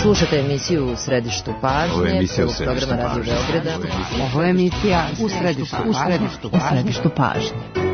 Slušate emisiju U središtu pažnje, programa Radio Beograda. Ovo je emisija U središtu pažnje.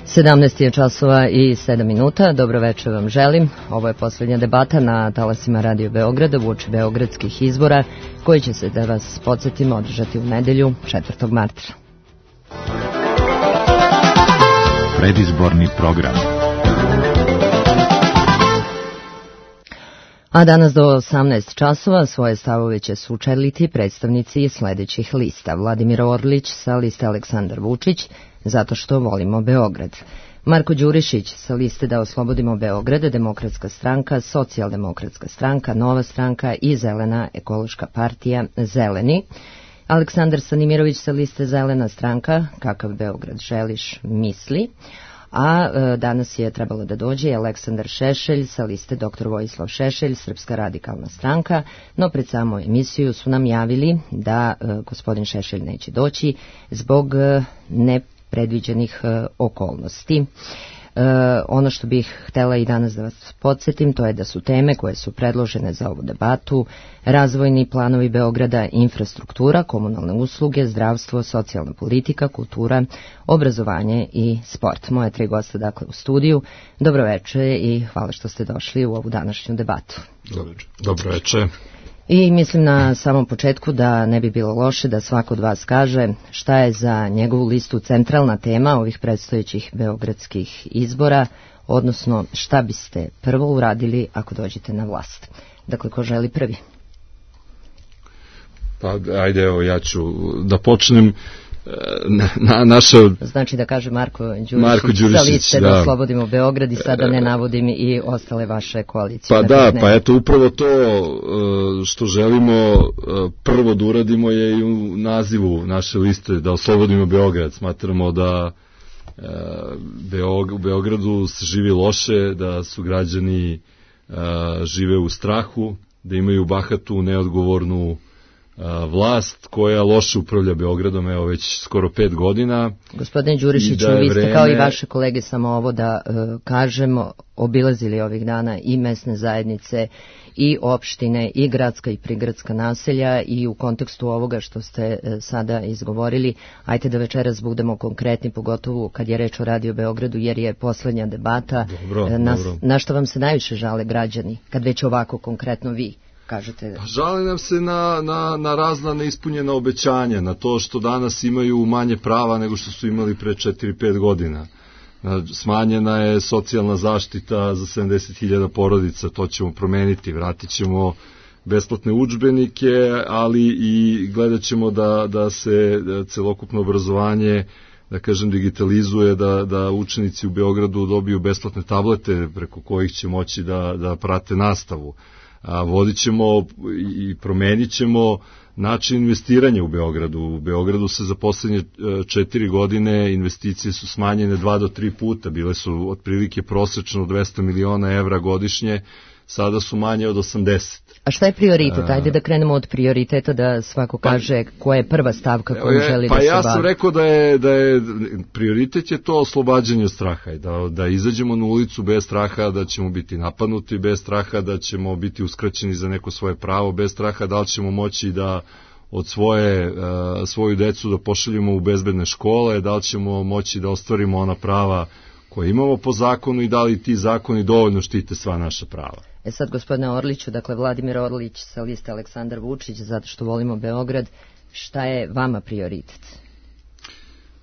Sedamnaest je časova i 7 minuta. Dobro večer vam želim. Ovo je posljednja debata na talasima Radio Beograda uoči beogradskih izbora koji će se, da vas podsjetimo, održati u nedelju 4. marta. Predizborni program. A danas do 18 časova svoje stavove će sučeliti predstavnici sljedećih lista. Vladimir Orlić sa liste Aleksandar Vučić, zato što volimo Beograd. Marko Đurišić sa liste Da oslobodimo Beograd, Demokratska stranka, Socijaldemokratska stranka, Nova stranka i Zelena ekološka partija Zeleni. Aleksandar Stanimirović sa liste Zelena stranka, Kakav Beograd želiš, misli. A danas je trebalo da dođe Aleksandar Šešelj sa liste Dr. Vojislav Šešelj, Srpska radikalna stranka, no pred samu emisiju su nam javili da gospodin Šešelj neće doći zbog nepredviđenih okolnosti. Ono što bih htjela i danas da vas podsjetim, to je da su teme koje su predložene za ovu debatu razvojni planovi Beograda, infrastruktura, komunalne usluge, zdravstvo, socijalna politika, kultura, obrazovanje i sport. Moje 3 gosta dakle u studiju. Dobro večer i hvala što ste došli u ovu današnju debatu. Dobro večer. I mislim na samom početku da ne bi bilo loše da svako od vas kaže šta je za njegovu listu centralna tema ovih predstojećih beogradskih izbora, odnosno šta biste prvo uradili ako dođete na vlast. Dakle, ko želi prvi? Pa ajde, evo ja ću da počnem. Znači da kaže Marko Đurišić sa liste Da oslobodimo Beograd i sada ne navodim i ostale vaše koalicije. Pa da, pa eto upravo to što želimo prvo da uradimo je i u nazivu naše liste Da oslobodimo Beograd. Smatramo da u Beogradu se živi loše, da su građani žive u strahu, da imaju bahatu, neodgovornu vlast koja loše upravlja Beogradom, evo već skoro 5 godina. Gospodine Đurišiću, vi ste kao i vaše kolege, samo ovo da kažemo, obilazili ovih dana i mesne zajednice i opštine i gradska i prigradska naselja i u kontekstu ovoga što ste sada izgovorili, ajte da večeras budemo konkretni, pogotovo kad je reč o Radio Beogradu, jer je poslednja debata. Dobro. Na što vam se najviše žale građani, kad već ovako konkretno vi kažete? Pa žale nam se na razna neispunjena obećanja, na to što danas imaju manje prava nego što su imali pre 4-5 godina. Smanjena je socijalna zaštita za 70.000 porodica, to ćemo promeniti, vratit ćemo besplatne udžbenike, ali i gledat ćemo da se celokupno obrazovanje da kažem, digitalizuje, da učenici u Beogradu dobiju besplatne tablete preko kojih će moći da prate nastavu. Vodit ćemo i promenit ćemo način investiranja u Beogradu. U Beogradu se za poslednje 4 godine investicije su smanjene 2 do 3 puta, bile su otprilike prosečno 200 miliona evra godišnje, sada su manje od 80. A šta je prioritet? Ajde da krenemo od prioriteta, da svako kaže koja je prva stavka koju želi da se bavi. Ja sam rekao da je prioritet je to oslobađanje od straha, da izađemo na ulicu bez straha, da ćemo biti napadnuti bez straha, da ćemo biti uskraćeni za neko svoje pravo bez straha, da li ćemo moći da od svoju decu da pošaljemo u bezbedne škole, da li ćemo moći da ostvarimo ona prava koje imamo po zakonu i da li ti zakoni dovoljno štite sva naša prava. Sad, gospodine Orliću, dakle Vladimir Orlić sa liste Aleksandar Vučić, zato što volimo Beograd, šta je vama prioritet?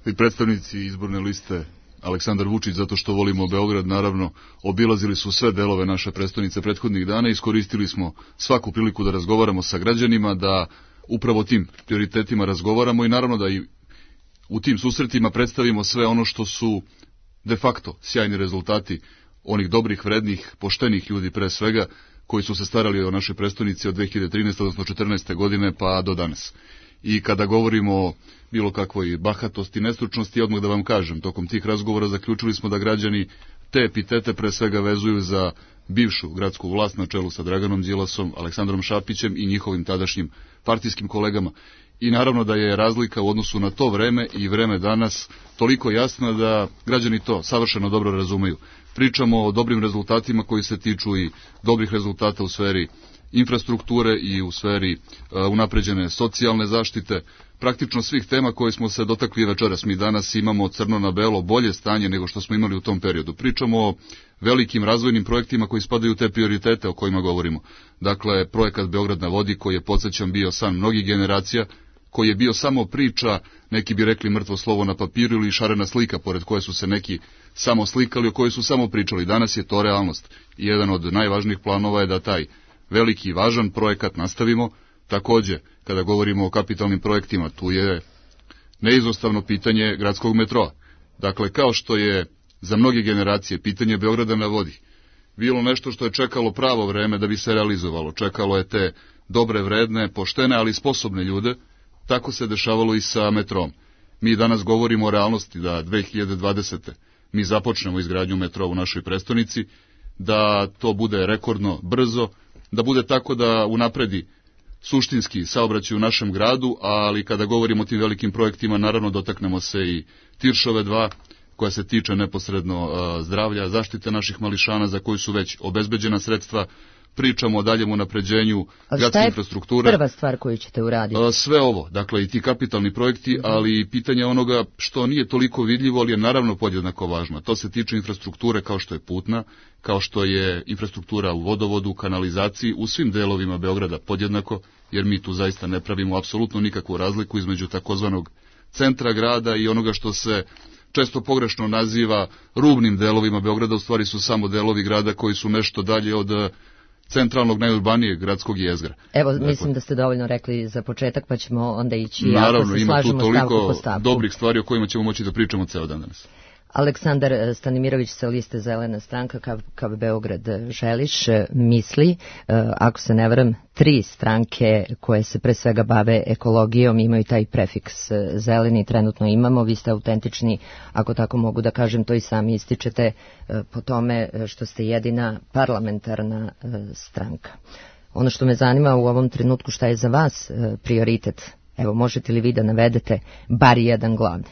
I predstavnici izborne liste Aleksandar Vučić, zato što volimo Beograd, naravno, obilazili su sve delove naše prestonice prethodnih dana, iskoristili smo svaku priliku da razgovaramo sa građanima, da upravo tim prioritetima razgovaramo i naravno da i u tim susretima predstavimo sve ono što su de facto sjajni rezultati onih dobrih, vrednih, poštenih ljudi pre svega, koji su se starali o našoj prestonici od 2013. odnosno 2014. godine pa do danas. I kada govorimo o bilo kakvoj bahatosti, nestručnosti, odmah da vam kažem, tokom tih razgovora zaključili smo da građani te epitete pre svega vezuju za bivšu gradsku vlast na čelu sa Draganom Đilasom, Aleksandrom Šapićem i njihovim tadašnjim partijskim kolegama. I naravno da je razlika u odnosu na to vreme i vreme danas toliko jasna da građani to savršeno dobro razumeju. Pričamo o dobrim rezultatima koji se tiču i dobrih rezultata u sferi infrastrukture i u sferi unapređene socijalne zaštite, praktično svih tema koje smo se dotakli večeras. Mi danas imamo crno na belo bolje stanje nego što smo imali u tom periodu. Pričamo o velikim razvojnim projektima koji spadaju u te prioritete o kojima govorimo. Dakle, projekat Beograd na vodi koji je, podsjećam, bio san mnogih generacija, koji je bio samo priča, neki bi rekli mrtvo slovo na papiru ili šarena slika pored koje su se neki samo slikali, o kojoj su samo pričali. Danas je to realnost. I jedan od najvažnijih planova je da taj veliki i važan projekat nastavimo. Takođe, kada govorimo o kapitalnim projektima, tu je neizostavno pitanje gradskog metroa. Dakle, kao što je za mnoge generacije pitanje Beograda na vodi bilo nešto što je čekalo pravo vreme da bi se realizovalo, čekalo je te dobre, vredne, poštene, ali sposobne ljude, tako se dešavalo i sa metrom. Mi danas govorimo o realnosti da 2020. mi započnemo izgradnju metroa u našoj prestonici, da to bude rekordno brzo, da bude tako da unapredi suštinski saobraćaj u našem gradu, ali kada govorimo o tim velikim projektima, naravno dotaknemo se i Tiršove 2, koja se tiče neposredno zdravlja, zaštite naših mališana za koju su već obezbeđena sredstva. Pričamo o daljem unapređenju gradske infrastrukture. Šta je prva stvar koju ćete uraditi? Sve ovo, dakle i ti kapitalni projekti, ali i pitanje onoga što nije toliko vidljivo, ali je naravno podjednako važno. To se tiče infrastrukture kao što je putna, kao što je infrastruktura u vodovodu, kanalizaciji, u svim delovima Beograda podjednako, jer mi tu zaista ne pravimo apsolutno nikakvu razliku između takozvanog centra grada i onoga što se često pogrešno naziva rubnim delovima Beograda, u stvari su samo delovi grada koji su nešto dalje od centralnog, najurbanijeg gradskog jezgra. Evo, dakle, mislim da ste dovoljno rekli za početak, pa ćemo onda ići, naravno, ako se slažemo stavku po stavku. Naravno, ima tu toliko dobrih stvari o kojima ćemo moći da pričamo ceo dan danas. Aleksandar Stanimirović sa liste Zelena stranka KV Beograd želiš misli, ako se ne varam, 3 stranke koje se pre svega bave ekologijom imaju taj prefiks zeleni, trenutno imamo, vi ste autentični, ako tako mogu da kažem, to i sami ističete po tome što ste jedina parlamentarna stranka. Ono što me zanima u ovom trenutku, šta je za vas prioritet? Evo, možete li vi da navedete bar jedan glavni?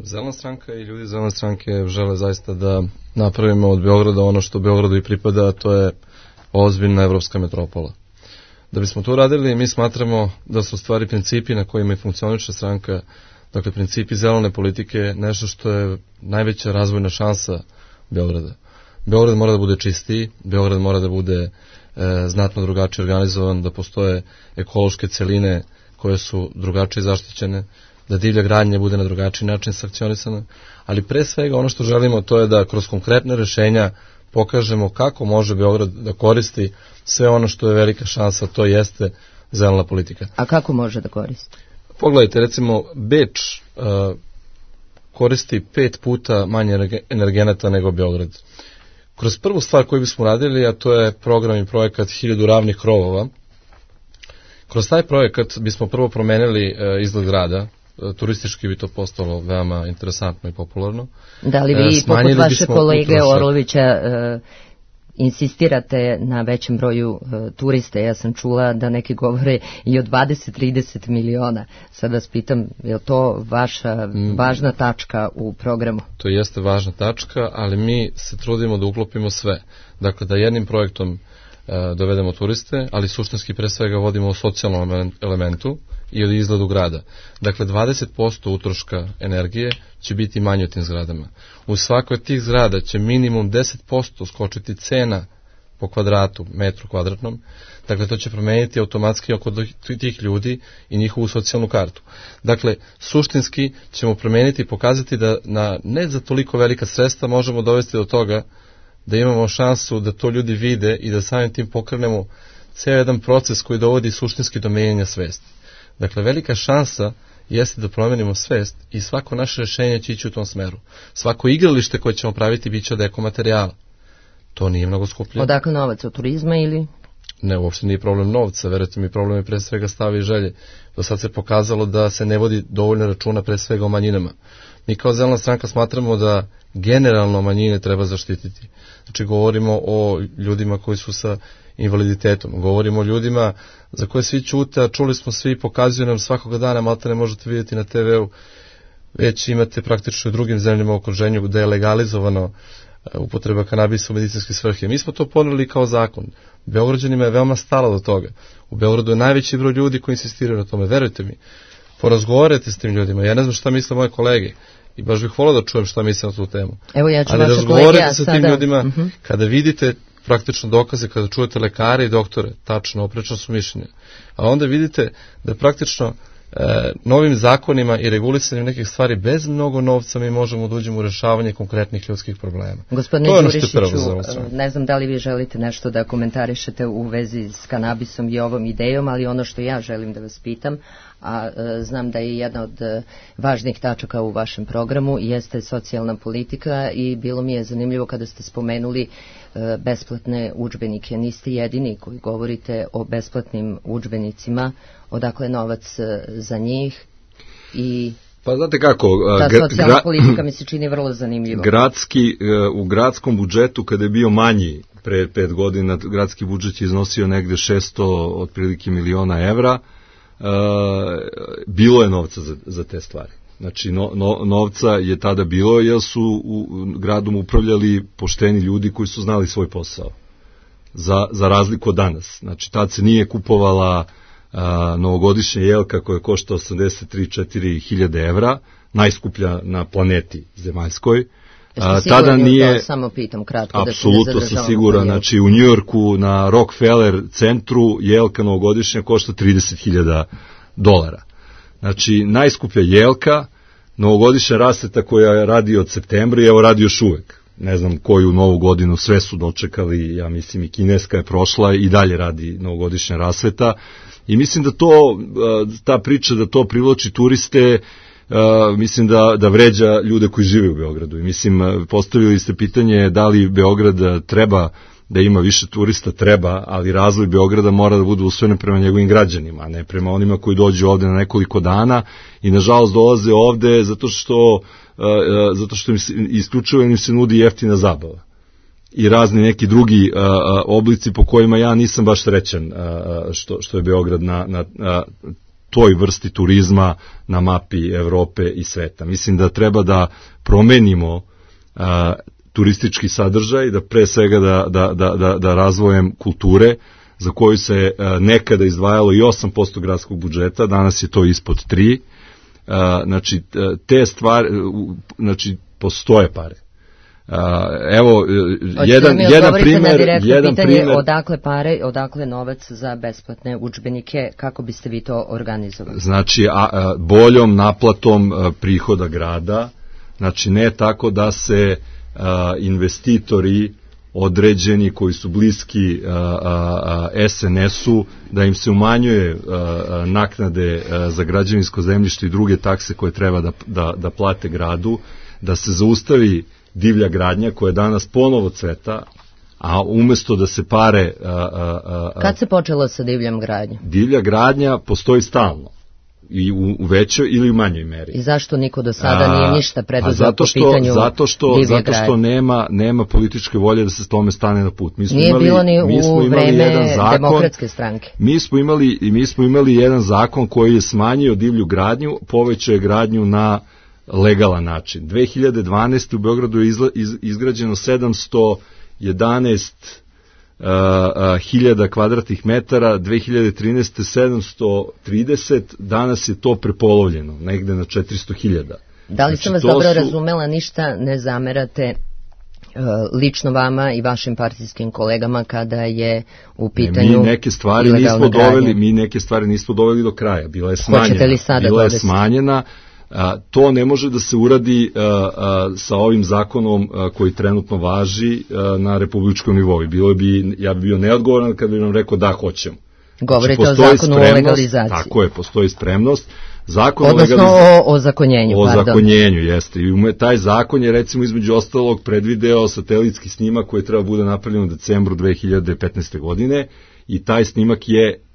Zelena stranka i ljudi Zelene stranke žele zaista da napravimo od Beograda ono što Beogradu i pripada, a to je ozbiljna evropska metropola. Da bismo to radili, mi smatramo da su stvari principi na kojima i funkcioniše stranka, dakle principi zelene politike, nešto što je najveća razvojna šansa Beograda. Beograd mora da bude čistiji, Beograd mora da bude znatno drugačije organizovan, da postoje ekološke celine koje su drugačije zaštićene, da divlja gradnja bude na drugačiji način sankcionisana, ali pre svega ono što želimo to je da kroz konkretne rešenja pokažemo kako može Beograd da koristi sve ono što je velika šansa, to jeste zelena politika. A kako može da koristi? Pogledajte, recimo, Beč koristi 5 puta manje energenata nego Beograd. Kroz prvu stvar koju bismo radili, a to je program i projekat 1000 ravnih krovova, kroz taj projekat bismo prvo promenili izgled grada, turistički bi to postalo veoma interesantno i popularno. Da li vi, poput vaše kolege Orlovića, insistirate na većem broju turista? Ja sam čula da neki govore i o 20-30 miliona. Sad vas pitam, je li to vaša važna tačka u programu? To jeste važna tačka, ali mi se trudimo da uklopimo sve. Dakle, da jednim projektom dovedemo turiste, ali suštinski pre svega vodimo o socijalnom elementu i od izgledu grada. Dakle, 20% utroška energije će biti manje u tim zgradama. U svakoj od tih zgrada će minimum 10% skočiti cena po kvadratu, metru kvadratnom. Dakle, to će promeniti automatski oko tih ljudi i njihovu socijalnu kartu. Dakle, suštinski ćemo promeniti i pokazati da na ne za toliko velika sredstva možemo dovesti do toga da imamo šansu da to ljudi vide i da samim tim pokrenemo ceo jedan proces koji dovodi suštinski do menjanja svesti. Dakle, velika šansa jeste da promenimo svest i svako naše rešenje će ići u tom smeru. Svako igralište koje ćemo praviti bit će od ekomaterijala. To nije mnogo skuplje. Odakle novac, od turizma ili? Ne, uopšte nije problem novca, verujte mi, problem je pre svega stava i želje. Do sad se pokazalo da se ne vodi dovoljno računa pre svega o manjinama. Mi kao Zelena stranka smatramo da generalno manjine treba zaštititi. Znači, govorimo o ljudima koji su sa invaliditetom, govorimo o ljudima za koje svi ćute, a čuli smo svi, pokazuju nam svakoga dana, malte ne možete vidjeti na TV-u, već imate praktično u drugim zemljama u okruženju da je legalizovano upotreba kanabisa u medicinske svrhe. Mi smo to poneli kao zakon. Beograđanima je veoma stalo do toga. U Beogradu je najveći broj ljudi koji insistiraju na tome. Verujte mi, porazgovarajte s tim ljudima. Ja ne znam šta misle moje kolege i baš bih volao da čujem šta misle na tu temu. Evo, ja ću ali razgovarajte sa tim ljudima kada vidite praktično dokaze, kada čujete lekare i doktore, tačno, oprečno su mišljenja. A onda vidite da praktično novim zakonima i regulisanjem nekih stvari bez mnogo novca mi možemo da uđemo u rešavanje konkretnih ljudskih problema. Gospodine Đurišiću, ne znam da li vi želite nešto da komentarišete u vezi s kanabisom i ovom idejom, ali ono što ja želim da vas pitam, a znam da je jedna od važnih tačaka u vašem programu, jeste socijalna politika i bilo mi je zanimljivo kada ste spomenuli besplatne udžbenike. Niste jedini koji govorite o besplatnim udžbenicima, odakle novac za njih i pa znate kako, ta socijalna politika mi se čini vrlo zanimljivo. U gradskom budžetu kada je bio manji pre 5 godina, gradski budžet je iznosio negde 600 otprilike miliona evra, bilo je novca za te stvari. Znači, novca je tada bilo, jer su gradom upravljali pošteni ljudi koji su znali svoj posao. Za razliku od danas. Znači, tad se nije kupovala novogodišnja jelka koja košta 83-4 hiljade evra, najskuplja na planeti zemaljskoj. Tada nije, to samo pitam kratko, apsolutno sam siguran, znači u Njujorku na Rockefeller centru jelka novogodišnja košta $30.000. Znači, najskuplja jelka, novogodišnja rasveta koja radi od septembra i evo radi još uvek. Ne znam koju novu godinu, sve su dočekali, ja mislim i kineska je prošla i dalje radi novogodišnja rasveta. I mislim da ta priča da to privlači turiste, mislim da vređa ljude koji žive u Beogradu. I mislim, postavili ste pitanje da li Beograd treba da ima više turista, treba, ali razvoj Beograda mora da bude usvojen prema njegovim građanima, a ne prema onima koji dođu ovde na nekoliko dana i nažalost dolaze ovde zato što isključivo im se nudi jeftina zabava i razni neki drugi oblici po kojima ja nisam baš srećan što je Beograd na toj vrsti turizma na mapi Evrope i sveta. Mislim da treba da promenimo turistički sadržaj, da pre svega da razvojem kulture, za koju se nekada izdvajalo i 8% gradskog budžeta, danas je to ispod 3%. Znači, te stvari, znači, postoje pare. Evo, jedan primer. Odakle pare, odakle novac za besplatne udžbenike, kako biste vi to organizovali? Znači, boljom naplatom prihoda grada, znači ne tako da se investitori određeni, koji su bliski SNS-u, da im se umanjuje naknade za građevinsko zemljište i druge takse koje treba da plate gradu, da se zaustavi divlja gradnja koja danas ponovo cveta, a umesto da se pare... Kad se počelo sa divljom gradnjom? Divlja gradnja postoji stalno. I u većoj ili u manjoj meri. I zašto niko do sada nije ništa preduzeo po pitanju divlje gradnje? Zato što nema političke volje da se s tome stane na put. Nije bilo ni u vreme Demokratske stranke. Mi smo imali jedan zakon koji je smanjio divlju gradnju, povećao je gradnju na legalan način. 2012. u Beogradu je izgrađeno 711 hiljada kvadratnih metara, 2013. 730, danas je to prepolovljeno, negde na 400.000. Da li sam vas dobro razumela, ništa ne zamerate lično vama i vašim partijskim kolegama kada je u pitanju ilegalna gradnja? Mi neke stvari nismo doveli do kraja, bila je smanjena. Hoćete li sada bila je smanjena. To ne može da se uradi sa ovim zakonom koji trenutno važi na republičkom nivou. Ja bi bio neodgovoran kad bi nam rekao da hoćemo. Govorite o zakonu o legalizaciji. Tako je, postoji spremnost. Odnosno o zakonjenju. O zakonjenju, jeste. I taj zakon je recimo između ostalog predvideo satelitski snimak koji treba bude napravljen u decembru 2015. godine. I taj snimak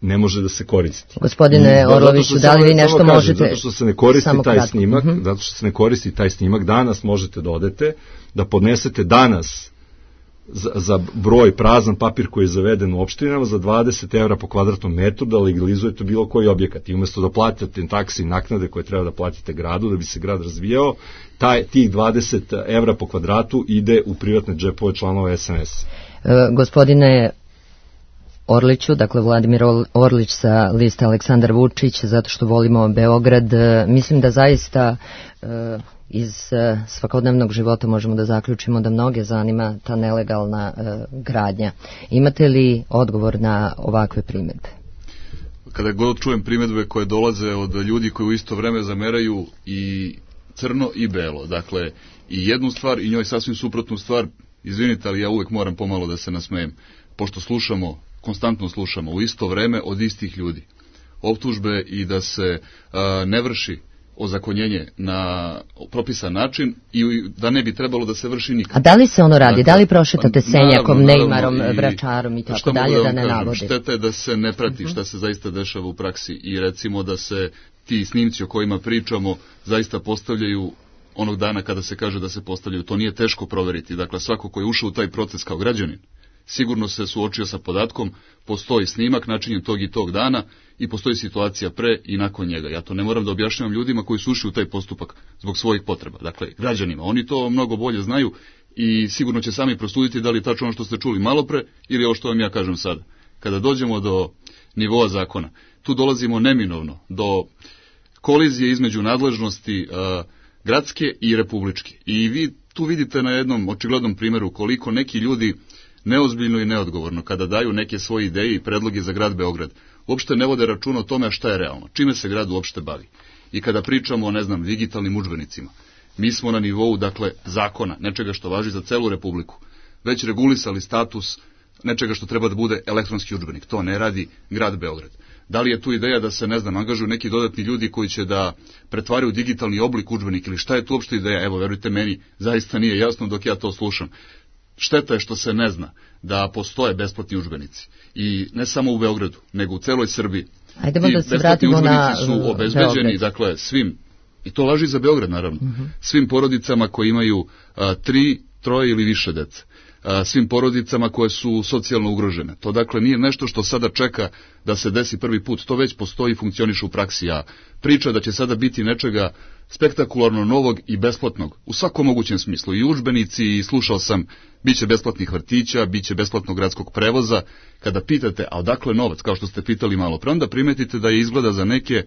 ne može da se koristi. Gospodine Orloviću, da li vi nešto možete... Zato što se ne koristi taj snimak, zato što se ne koristi taj snimak, danas možete da odete, da podnesete danas za broj prazan papir koji je zaveden u opštinama za 20 evra po kvadratnom metru da legalizujete bilo koji objekat. I umesto da platite taksi i naknade koje treba da platite gradu da bi se grad razvijao, tih 20 evra po kvadratu ide u privatne džepove članova SNS. Gospodine Orliću, dakle Vladimir Orlić sa liste Aleksandar Vučić, zato što volimo Beograd. Mislim da zaista iz svakodnevnog života možemo da zaključimo da mnoge zanima ta nelegalna gradnja. Imate li odgovor na ovakve primjedbe? Kada god čujem primjedbe koje dolaze od ljudi koji u isto vreme zameraju i crno i belo, dakle i jednu stvar i njoj sasvim suprotnu stvar, izvinite, ali ja uvek moram pomalo da se nasmejem, pošto konstantno slušamo u isto vreme od istih ljudi optužbe i da se ne vrši ozakonjenje na propisan način i da ne bi trebalo da se vrši nikad. A da li se ono radi? Da li prošetate Senjakom, Neymarom, Vračarom i tako dalje, da ne navodi? Šteta je da se ne prati šta se zaista dešava u praksi i recimo da se ti snimci o kojima pričamo zaista postavljaju onog dana kada se kaže da se postavljaju. To nije teško proveriti. Dakle, svako ko je ušao u taj proces kao građanin sigurno se suočio sa podatkom, postoji snimak načinjen tog i tog dana i postoji situacija pre i nakon njega. Ja to ne moram da objašnjavam ljudima koji su ušli u taj postupak zbog svojih potreba. Dakle, građanima. Oni to mnogo bolje znaju i sigurno će sami prosuditi da li je tačno ono što ste čuli malo pre ili ovo što vam ja kažem sada. Kada dođemo do nivoa zakona, tu dolazimo neminovno do kolizije između nadležnosti gradske i republičke. I vi tu vidite na jednom očiglednom primjeru koliko neki ljudi neozbiljno i neodgovorno kada daju neke svoje ideje i predloge za grad Beograd, uopšte ne vode računa o tome šta je realno, čime se grad uopšte bavi. I kada pričamo o, digitalnim udžbenicima, mi smo na nivou, zakona, nečega što važi za celu republiku, već regulisali status nečega što treba da bude elektronski udžbenik. To ne radi grad Beograd. Da li je tu ideja da se, angažuju neki dodatni ljudi koji će da pretvaraju digitalni oblik udžbenik ili šta je tu uopšte ideja? Evo, verujte meni, zaista nije jasno dok ja to slušam. Šteta je što se ne zna da postoje besplatni udžbenici. I ne samo u Beogradu, nego u celoj Srbiji. Ajdemo da se vratimo na su obezbeđeni, svim, i to važi za Beograd naravno, svim porodicama koji imaju 3, 3 ili više dece. Svim porodicama koje su socijalno ugrožene. To nije nešto što sada čeka da se desi prvi put. To već postoji i funkcioniše u praksi. A priča da će sada biti nečega spektakularno novog i besplatnog u svakom mogućem smislu. I udžbenici, i slušao sam, biće besplatnih vrtića, biće besplatnog gradskog prevoza. Kada pitate, a odakle novac, kao što ste pitali malo pre, onda primetite da je izgleda za neke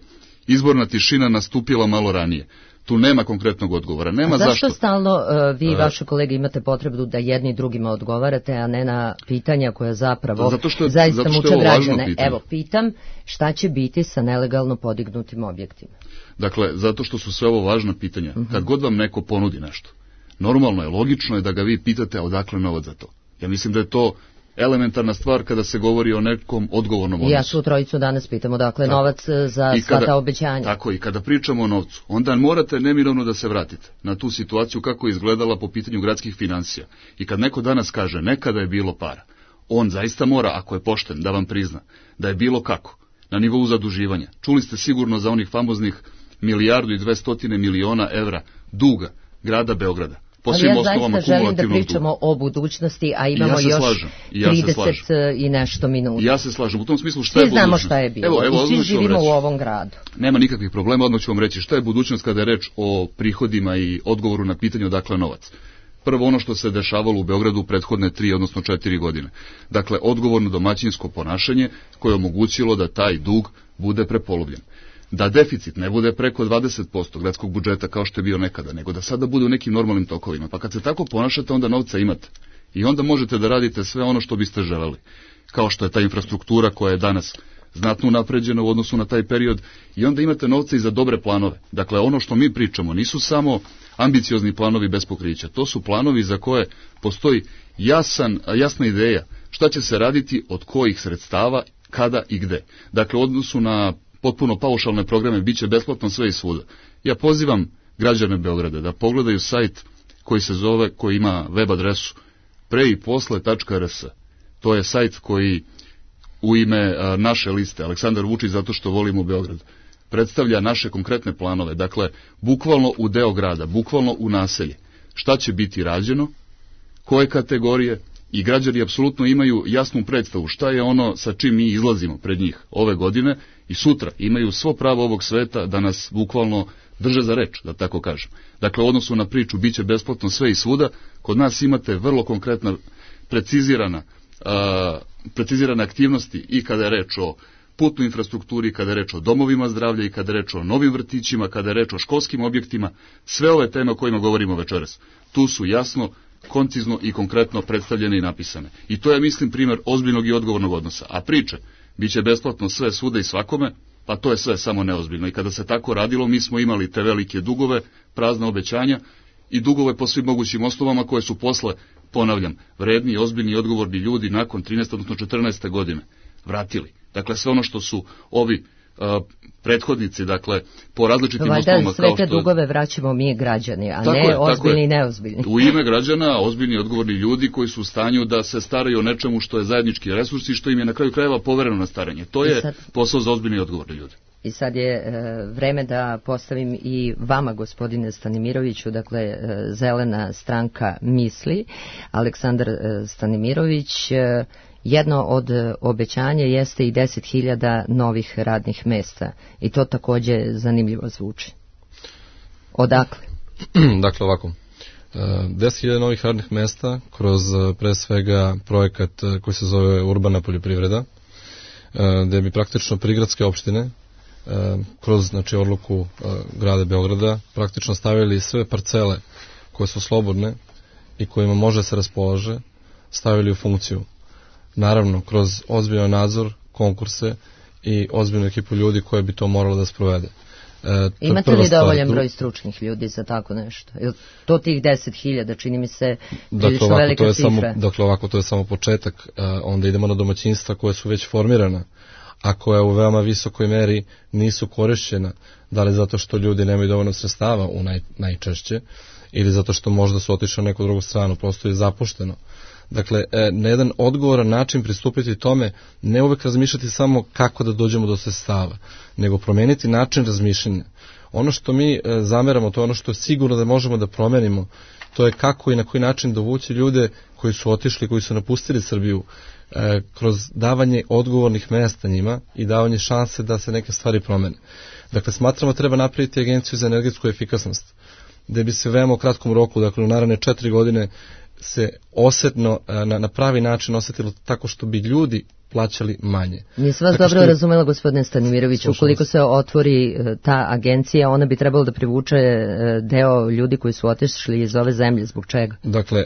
izborna tišina nastupila malo ranije. Tu nema konkretnog odgovora. Nema zašto. Zašto stalno vi i vaše kolege imate potrebu da jedni drugima odgovarate, a ne na pitanja koja zapravo zaista muče građane? Evo, pitam, šta će biti sa nelegalno podignutim objektima? Dakle, zato što su sve ovo važna pitanja. Kad god vam neko ponudi nešto, normalno je, logično je da ga vi pitate odakle novac za to. Ja mislim da je to elementarna stvar kada se govori o nekom odgovornom odnosu. Ja tu trojicu danas pitamo, dakle, novac za sva ta obećanja. Tako, i kada pričamo o novcu, onda morate neminovno da se vratite na tu situaciju kako je izgledala po pitanju gradskih finansija. I kad neko danas kaže nekada je bilo para, on zaista mora, ako je pošten, da vam prizna da je bilo kako, na nivou zaduživanja. Čuli ste sigurno za onih famoznih 1.200.000.000 evra duga grada Beograda. Ali ja zaista želim da pričamo o budućnosti, a imamo još 30 i nešto minuta. Ja se slažem. U tom smislu šta je budućnost? Svi znamo šta je bilo i svi živimo u ovom gradu. Nema nikakvih problema, odmah ću vam reći šta je budućnost kada je reč o prihodima i odgovoru na pitanje odakle novac. Prvo ono što se dešavalo u Beogradu u prethodne 3, odnosno 4 godine. Dakle, odgovorno domaćinsko ponašanje koje je omogućilo da taj dug bude prepolovljen. Da deficit ne bude preko 20% gradskog budžeta kao što je bio nekada, nego da sada bude u nekim normalnim tokovima. Pa kad se tako ponašate, onda novca imate. I onda možete da radite sve ono što biste želeli. Kao što je ta infrastruktura koja je danas znatno unapređena u odnosu na taj period. I onda imate novca i za dobre planove. Dakle, ono što mi pričamo nisu samo ambiciozni planovi bez pokrića. To su planovi za koje postoji jasna ideja šta će se raditi, od kojih sredstava, kada i gde. Dakle, u odnosu na potpuno paušalne programe biće besplatno sve i svuda. Ja pozivam građane Beograda da pogledaju sajt koji ima web adresu preiposle.rs. To je sajt koji u ime naše liste Aleksandar Vučić zato što volimo Beograd predstavlja naše konkretne planove. Dakle, bukvalno u deo grada, bukvalno u naselje. Šta će biti rađeno, koje kategorije, i građani apsolutno imaju jasnu predstavu šta je ono sa čim mi izlazimo pred njih ove godine i sutra imaju svo pravo ovog sveta da nas bukvalno drže za reč, da tako kažem. Dakle, u odnosu na priču biće besplatno sve i svuda, kod nas imate vrlo konkretna, precizirane aktivnosti i kada je reč o putnoj infrastrukturi, kada je reč o domovima zdravlja i kada je reč o novim vrtićima, kada je reč o školskim objektima, sve ove teme o kojima govorimo večeras. Tu su jasno, koncizno i konkretno predstavljene i napisane. I to je, mislim, primjer ozbiljnog i odgovornog odnosa. A priče, bit će besplatno sve svuda i svakome, pa to je sve samo neozbiljno. I kada se tako radilo, mi smo imali te velike dugove, prazna obećanja i dugove po svim mogućim osnovama koje su posle, ponavljam, vredni, ozbiljni i odgovorni ljudi nakon 13. odnosno 14. godine vratili. Dakle, sve ono što su ovi prethodnici, dakle, po različitim osnovama. Valjda sve te dugove vraćamo mi građani, a ne ozbiljni i neozbiljni. U ime građana, ozbiljni i odgovorni ljudi koji su u stanju da se staraju o nečemu što je zajednički resurs i što im je na kraju krajeva povereno na staranje. To je posao za ozbiljni i odgovorni ljudi. I sad je vreme da postavim i vama, gospodine Stanimiroviću, dakle, Zelena stranka misli, Aleksandar Stanimirović. Jedno od obećanja jeste i 10.000 novih radnih mesta i to takođe zanimljivo zvuči. Odakle? Dakle, ovako. 10.000 novih radnih mesta kroz pre svega projekat koji se zove Urbana poljoprivreda, gde bi praktično prigradske opštine kroz, znači, odluku grada Beograda praktično stavili sve parcele koje su slobodne i kojima može se raspolaže, stavili u funkciju. Naravno, kroz ozbiljan nadzor, konkurse i ozbiljnu ekipu ljudi koje bi to moralo da sprovede. Imate li dovoljan broj stručnih ljudi za tako nešto? To tih 10.000, čini mi se prilično velika cifra. Dakle, ovako, to je samo početak, onda idemo na domaćinstva koje su već formirana, a koja u veoma visokoj meri nisu korišćena, da li zato što ljudi nemaju dovoljno sredstava najčešće, ili zato što možda su otišli na neku drugu stranu, prosto je zapušteno. Dakle, na jedan odgovoran način pristupiti tome, ne uvek razmišljati samo kako da dođemo do sredstava, nego promeniti način razmišljanja. Ono što mi zameramo, to je ono što je sigurno da možemo da promenimo, to je kako i na koji način dovući ljude koji su otišli, koji su napustili Srbiju, kroz davanje odgovornih mesta njima i davanje šanse da se neke stvari promene. Dakle, smatramo treba napraviti agenciju za energetsku efikasnost, gde bi se veoma u kratkom roku, dakle u naravne 4 godine, se osetno, na pravi način osetilo tako što bi ljudi plaćali manje. Nisam vas dobro razumela, gospodine Stanimirović, ukoliko se otvori ta agencija, ona bi trebalo da privuče deo ljudi koji su otišli iz ove zemlje, zbog čega? Dakle,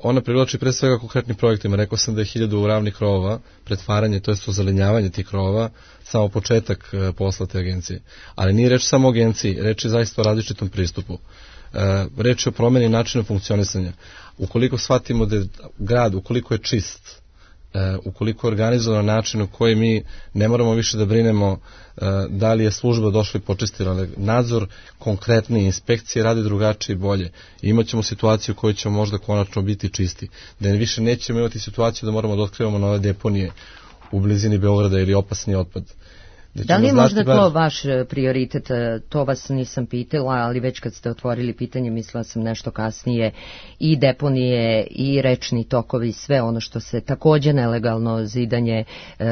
ona privlači pre svega konkretnim projektima. Rekao sam da je 1000 ravnih krovova, pretvaranje, to je ozelenjavanje tih krovova, samo početak posla te agencije. Ali nije reč samo o agenciji, reč je zaista o različitom pristupu. Reč je o promeni načina funkcionisanja. Ukoliko shvatimo da je grad, ukoliko je čist, ukoliko je organizovan način u koji mi ne moramo više da brinemo da li je služba došla i počistila, ali nadzor konkretni, inspekcije rade drugačije i bolje. I imaćemo situaciju u kojoj ćemo možda konačno biti čisti. Da više nećemo imati situaciju da moramo da otkrivamo nove deponije u blizini Beograda ili opasni otpad. Da li je možda to vaš prioritet? To vas nisam pitala, ali već kad ste otvorili pitanje, mislila sam nešto kasnije, i deponije i rečni tokovi, sve ono što se takođe nelegalno zidanje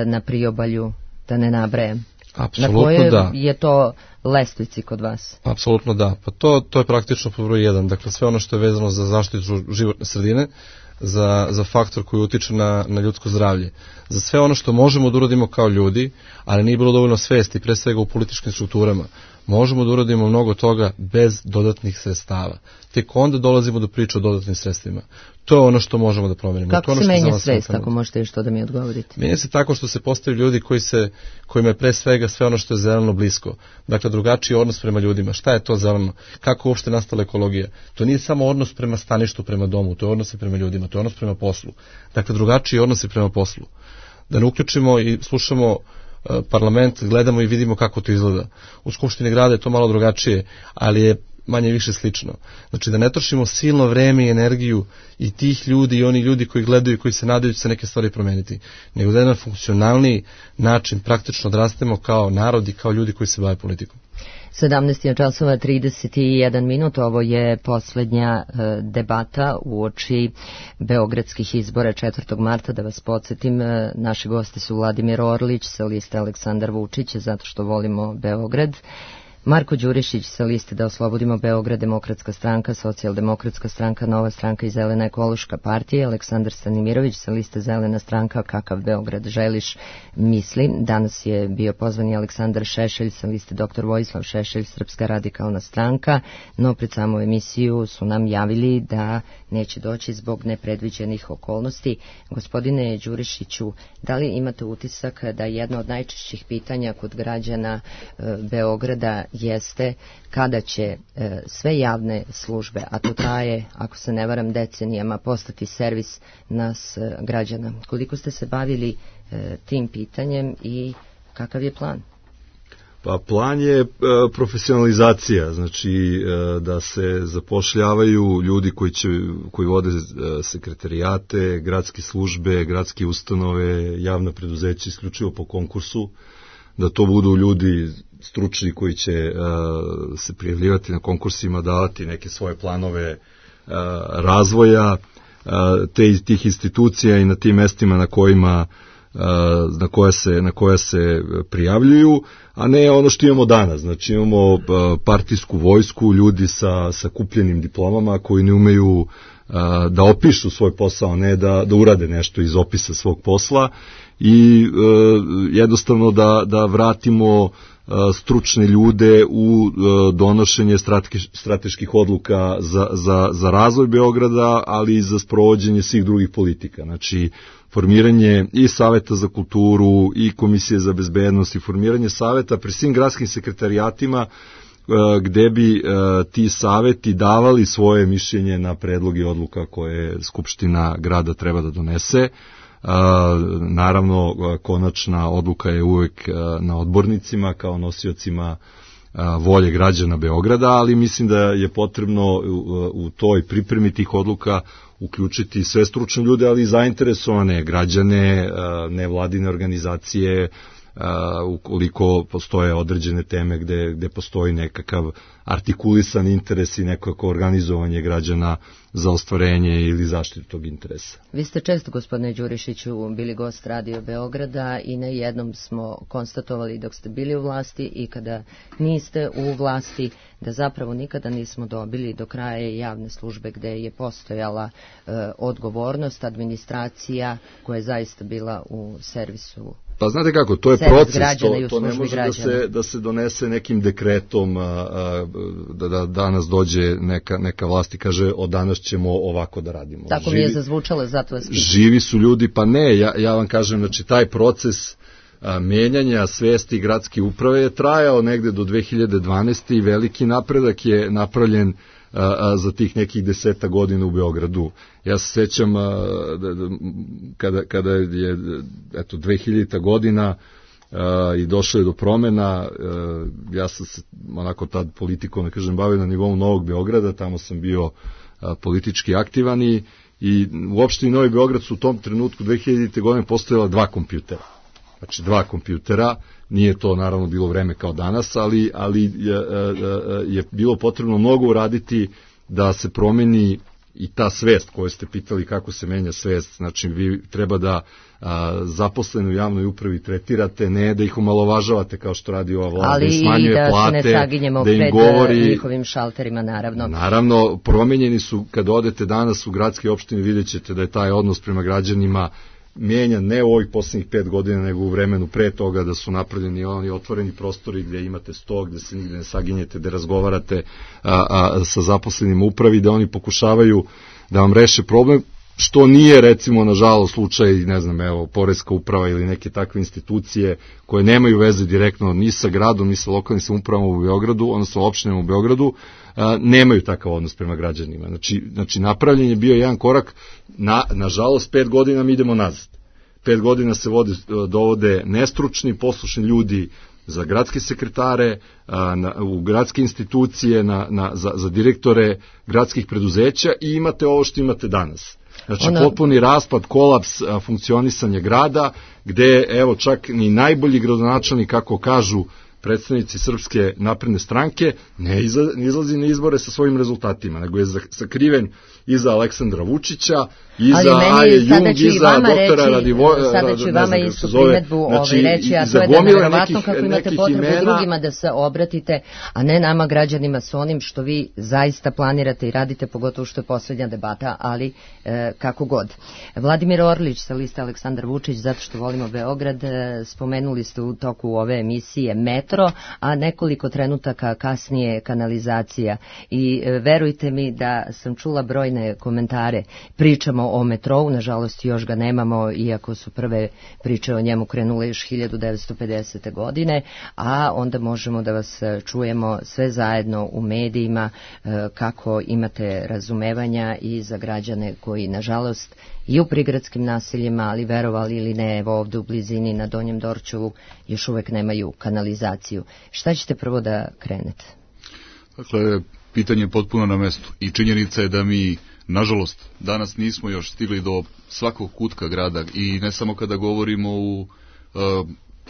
na priobalju, da ne nabrajem. Apsolutno na koje da. Je to lestvici kod vas? Apsolutno da. Pa to je praktično pod broj 1. Dakle, sve ono što je vezano za zaštitu životne sredine, za faktor koji utiče na ljudsko zdravlje, za sve ono što možemo da uradimo kao ljudi, ali nije bilo dovoljno svesti, pre svega u političkim strukturama. Možemo da uradimo mnogo toga bez dodatnih sredstava. Tek onda dolazimo do priče o dodatnim sredstvima. To je ono što možemo da promenimo. Kako se menja svest, ako možete još to da mi odgovorite? Menja se tako što se postavi ljudi kojima je pre svega sve ono što je zeleno blisko. Dakle, drugačiji odnos prema ljudima. Šta je to zeleno? Kako uopšte nastala ekologija? To nije samo odnos prema staništu, prema domu, to je odnos prema ljudima, to je odnos prema poslu. Dakle, drugačiji odnos prema poslu. Da ne uključimo i slušamo parlament, gledamo i vidimo kako to izgleda. U Skupštini grada je to malo drugačije, ali je manje više slično. Znači da ne trošimo silno vreme i energiju i tih ljudi i oni ljudi koji gledaju i koji se nadaju će se neke stvari promeniti, nego da jedan funkcionalni način praktično odrastemo kao narod i kao ljudi koji se bave politikom. 17:31, ovo je poslednja debata uoči beogradskih izbora 4. marta. Da vas podsjetim, naši gosti su Vladimir Orlić sa liste Aleksandar Vučić, zato što volimo Beograd, Marko Đurišić sa liste Da oslobodimo Beograd, Demokratska stranka, Socijaldemokratska stranka, Nova stranka i Zelena ekološka partija, Aleksandar Stanimirović sa liste Zelena stranka, Kakav Beograd želiš, misli. Danas je bio pozvan i Aleksandar Šešelj sa liste Dr. Vojislav Šešelj, Srpska radikalna stranka, no pred samu emisiju su nam javili da neće doći zbog nepredviđenih okolnosti. Gospodine Đurišiću, da li imate utisak da jedno od najčešćih pitanja kod građana Beograda jeste kada će sve javne službe, a to traje, ako se ne varam, decenijama, postati servis nas građana? Koliko ste se bavili tim pitanjem i kakav je plan? Pa plan je profesionalizacija, znači da se zapošljavaju ljudi koji vode sekretarijate, gradske službe, gradske ustanove, javna preduzeća isključivo po konkursu, da to budu ljudi stručni koji će se prijavljivati na konkursima, davati neke svoje planove razvoja tih institucija i na tim mestima na koja se prijavljuju, a ne ono što imamo danas. Znači imamo partijsku vojsku, ljudi sa kupljenim diplomama koji ne umeju da opišu svoj posao, ne da urade nešto iz opisa svog posla, i jednostavno da vratimo stručne ljude u donošenje strateških odluka za razvoj Beograda, ali i za sprovođenje svih drugih politika. Znači, formiranje i Saveta za kulturu i Komisije za bezbednost i formiranje saveta pri svim gradskim sekretarijatima gde bi ti saveti davali svoje mišljenje na predloge odluka koje Skupština grada treba da donese. Naravno, konačna odluka je uvek na odbornicima kao nosiocima volje građana Beograda, ali mislim da je potrebno u toj pripremi tih odluka uključiti sve stručne ljude, ali i zainteresovane građane, nevladine organizacije, ukoliko postoje određene teme gde postoji nekakav artikulisan interes i nekako organizovanje građana za ostvarenje ili zaštitu tog interesa. Vi ste često, gospodine Đurišiću, bili gost Radio Beograda i na jednom smo konstatovali dok ste bili u vlasti i kada niste u vlasti da zapravo nikada nismo dobili do kraja javne službe gde je postojala odgovornost, administracija koja je zaista bila u servisu. Pa znate kako, to je proces, to ne može da se donese nekim dekretom, da danas dođe neka vlast i kaže od danas ćemo ovako da radimo. Tako mi je zazvučalo, zato vas pitam. Živi su ljudi, pa ne, ja vam kažem, znači taj proces menjanja svesti gradske uprave je trajao negde do 2012. i veliki napredak je napravljen za tih nekih 10 godina u Beogradu. Ja se sećam kada je 2000. godina i došlo je do promena, ja sam se onako tad politikom, da kažem, bavio na nivou Novog Beograda, tamo sam bio politički aktivan i u opštini Novi Beograd su u tom trenutku 2000. godine postojala 2 kompjutera. Znači 2 kompjutera, nije to naravno bilo vreme kao danas, ali je bilo potrebno mnogo uraditi da se promeni i ta svest koju ste pitali kako se menja svest. Znači vi treba da zaposleni u javnoj upravi tretirate, ne da ih omalovažavate kao što radi ova vlada, da smanjuje plate, da se ne saginjemo da im pred govori njihovim šalterima, naravno. Naravno, promenjeni su, kad odete danas u gradske opštine, vidjet ćete da je taj odnos prema građanima mijenjan ne u ovih poslednjih 5 godina, nego u vremenu pre toga, da su napravljeni oni otvoreni prostori gde imate sto, gde se nigde ne saginjete, gde razgovarate sa zaposlenim u upravi, da oni pokušavaju da vam reše problem, što nije, recimo, nažalost, slučaj, ne znam, evo, poreska uprava ili neke takve institucije koje nemaju veze direktno ni sa gradom, ni sa lokalnim samoupravama u Beogradu, odnosno opštinama u Beogradu, nemaju takav odnos prema građanima. Znači napravljen je bio jedan korak, nažalost, 5 godina mi idemo nazad. 5 godina se dovode nestručni, poslušni ljudi za gradske sekretare, u gradske institucije, za direktore gradskih preduzeća i imate ovo što imate danas. Znači, potpuni raspad, kolaps funkcionisanja grada, gde, evo, čak ni najbolji gradonačelnik, kako kažu predstavnici Srpske napredne stranke, ne izlazi na izbore sa svojim rezultatima, nego je sakriven iza Aleksandra Vučića, iza Aje Jung, iza doktora Radivoja. Sada ću vama istu primedbu reći, a to je da je nevjerovatno kako imate potrebu drugima da se obratite, a ne nama građanima s onim što vi zaista planirate i radite, pogotovo što je poslednja debata, ali kako god. Vladimir Orlić sa liste Aleksandar Vučić, zato što volimo Beograd, spomenuli ste u toku ove emisije metro, a nekoliko trenutaka kasnije kanalizacija. I verujte mi da sam čula brojne komentare. Pričamo o metrou, nažalost još ga nemamo, iako su prve priče o njemu krenule još 1950. godine, a onda možemo da vas čujemo sve zajedno u medijima kako imate razumevanja i za građane koji, nažalost, i u prigradskim naseljima, ali verovali ili ne, evo ovde u blizini na Donjem Dorćolu još uvek nemaju kanalizaciju. Šta ćete prvo da krenete? Dakle, pitanje je potpuno na mestu i činjenica je da mi, nažalost, danas nismo još stigli do svakog kutka grada i ne samo kada govorimo u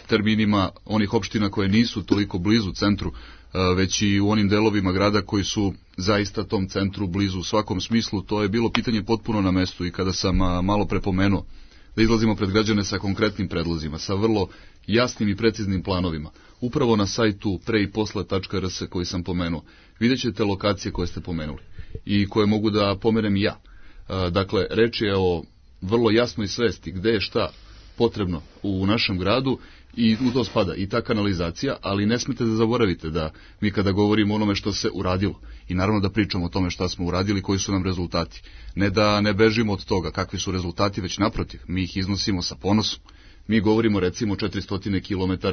terminima onih opština koje nisu toliko blizu centru, već i u onim delovima grada koji su zaista tom centru blizu u svakom smislu. To je bilo pitanje potpuno na mestu i kada sam malo prepomenuo da izlazimo pred građane sa konkretnim predlozima, sa vrlo jasnim i preciznim planovima. Upravo na sajtu preiposle.rs koji sam pomenuo, vidjet ćete lokacije koje ste pomenuli i koje mogu da pomenem i ja. Dakle, reč je o vrlo jasnoj svesti gde je šta potrebno u našem gradu i u to spada i ta kanalizacija, ali ne smete da zaboravite da mi kada govorimo o onome što se uradilo i naravno da pričamo o tome šta smo uradili, koji su nam rezultati, ne da ne bežimo od toga kakvi su rezultati, već naprotiv, mi ih iznosimo sa ponosom. Mi govorimo recimo 400 km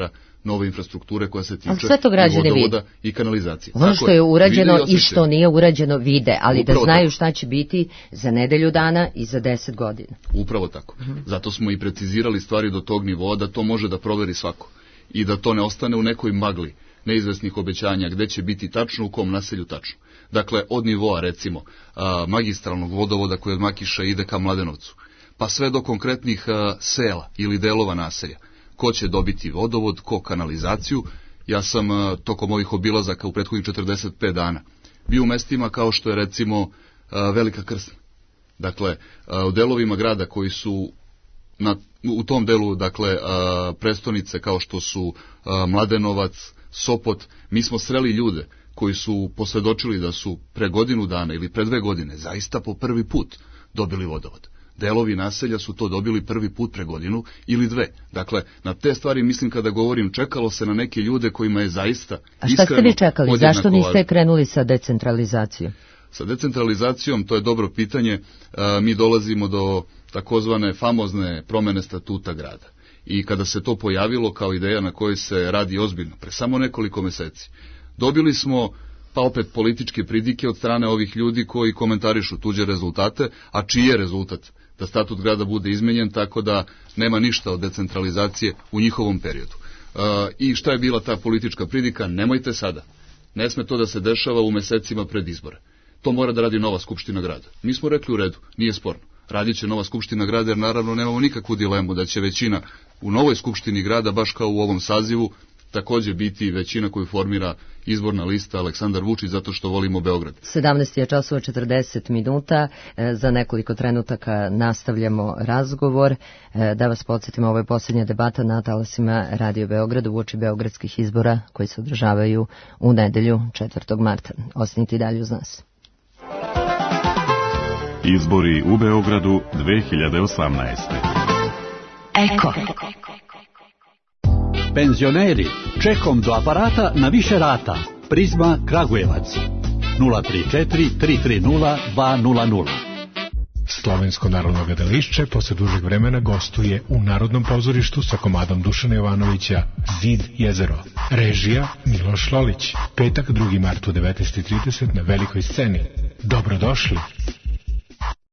nove infrastrukture koja se tiče vodovoda i kanalizacije. Ono što je urađeno i što nije urađeno vide, ali upravo da znaju tako šta će biti za nedelju dana i za 10 godina. Upravo tako. Zato smo i precizirali stvari do tog nivoa da to može da proveri svako i da to ne ostane u nekoj magli neizvesnih obećanja gde će biti tačno u kom naselju tačno. Dakle, od nivoa recimo magistralnog vodovoda koji od Makiša ide ka Mladenovcu, pa sve do konkretnih sela ili delova naselja. Ko će dobiti vodovod, ko kanalizaciju. Ja sam tokom ovih obilazaka u prethodnih 45 dana bio u mestima kao što je recimo Velika Krsna. Dakle, u delovima grada koji su u tom delu, dakle, prestonice kao što su Mladenovac, Sopot, mi smo sreli ljude koji su posvedočili da su pre godinu dana ili pre 2 godine zaista po prvi put dobili vodovod. Delovi naselja su to dobili prvi put pre godinu ili 2. Dakle, na te stvari mislim kada govorim, čekalo se na neke ljude kojima je zaista iskreno. A šta ste vi čekali? Zašto niste krenuli sa decentralizacijom? Sa decentralizacijom, to je dobro pitanje, mi dolazimo do takozvane famozne promene statuta grada. I kada se to pojavilo kao ideja na kojoj se radi ozbiljno, pre samo nekoliko meseci, dobili smo pa opet političke pridike od strane ovih ljudi koji komentarišu tuđe rezultate, a čiji je rezultat? Da statut grada bude izmenjen tako da nema ništa od decentralizacije u njihovom periodu. I šta je bila ta politička pridika? Nemojte sada. Ne sme to da se dešava u mesecima pred izbore. To mora da radi nova skupština grada. Mi smo rekli u redu, nije sporno. Radit će nova skupština grada jer naravno nemamo nikakvu dilemu da će većina u novoj skupštini grada, baš kao u ovom sazivu, takođe biti većina koju formira izborna lista Aleksandar Vučić zato što volimo Beograd. 17 je časova 40 minuta, za nekoliko trenutaka nastavljamo razgovor. Da vas podsjetimo, ovo je posljednja debata na talasima Radio Beograda uoči beogradskih izbora koji se održavaju u nedelju 4. marta. Ostanite i dalje uz nas. Izbori u Beogradu 2018. Eko. Penzioneri, čekom do aparata na više rata. Prizma Kragujevac 034 330 200. Slovensko narodno gledališće posle dužeg vremena gostuje u Narodnom pozorištu sa komadom Dušana Jovanovića Zid jezero. Režija Miloš Lolić. Petak 2. mart u 19:30 na velikoj sceni. Dobrodošli.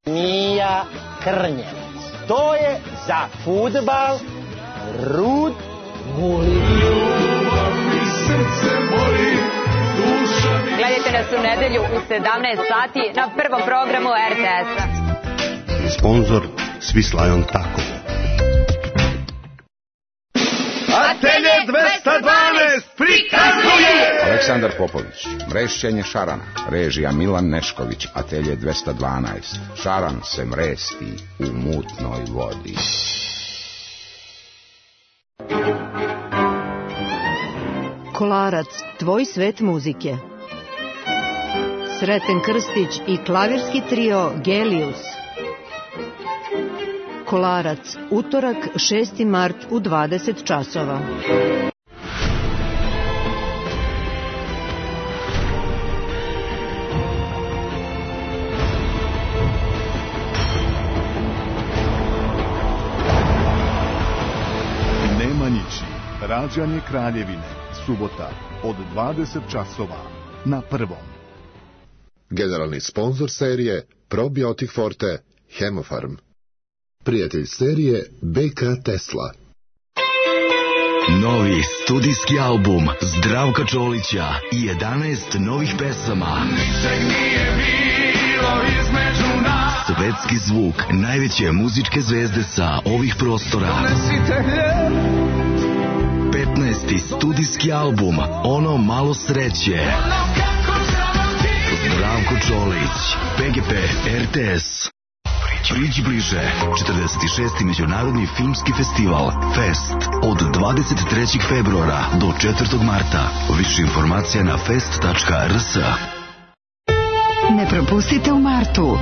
Mija Krnjevac. To je za fudbal Rud Vulin. Gledajte nas u nedelju u 17 sati na prvom programu RTS-a. Sponzor Svislajon Tako. Atelje 212 prikazuje Aleksandar Popović, mrešćenje šarana, režija Milan Nešković, Atelje 212. Šaran se mresti u mutnoj vodi. Kolarac, tvoj svet muzike. Sreten Krstić i klavirski trio Gelius. Kolarac, utorak 6. mart u 20 časova. Nemanjići, rađanje Kraljevine, subota od 20 časova na Prvom. Generalni sponzor serije Probiotik Forte, Hemofarm. Prijatelj serije BK Tesla. Novi studijski album Zdravka Čolića i 11 novih pesama. Svetski zvuk najveće muzičke zvezde sa ovih prostora. 15. studijski album Ono malo sreće. Zdravko Čolić, PGP RTS. Priđi bliže, 46. međunarodni filmski festival Fest od 23. februara do 4. marta. Više informacija na fest.rs. Ne propustite u martu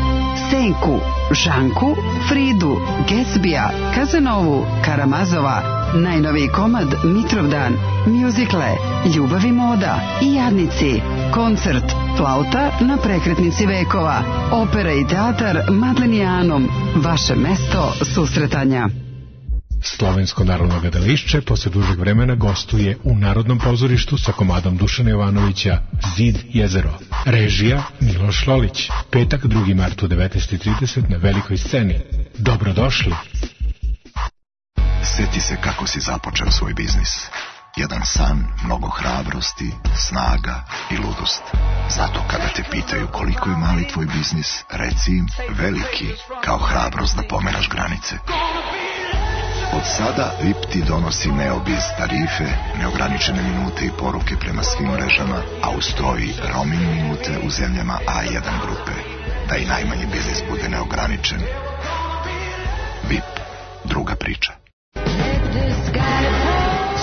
Senku, Žanku, Fridu, Gatsbija, Kazanovu, Karamazova, najnoviji komad Mitrovdan, mjuzikle, Ljubav i moda i Jadnici, koncert Flauta na prekretnici vekova, opera i teatar Madlenijanom, vaše mesto susretanja. Slovensko narodno gledališće posle dužeg vremena gostuje u Narodnom pozorištu sa komadom Dušana Jovanovića Zid jezero. Režija Miloš Lolić. Petak 2. mart u 19:30 na velikoj sceni. Dobrodošli. Sjeti se kako si započeo svoj biznis. Jedan san, mnogo hrabrosti, snaga i ludost. Zato kada te pitaju koliko je mali tvoj biznis, reci im veliki, kao hrabrost da pomeraš granice. Od sada VIP ti donosi Neobiz tarife, neograničene minute i poruke prema svim mrežama, a uz to i roaming minute u zemljama A1 grupe, da i najmanji biznis bude neograničen. VIP, druga priča.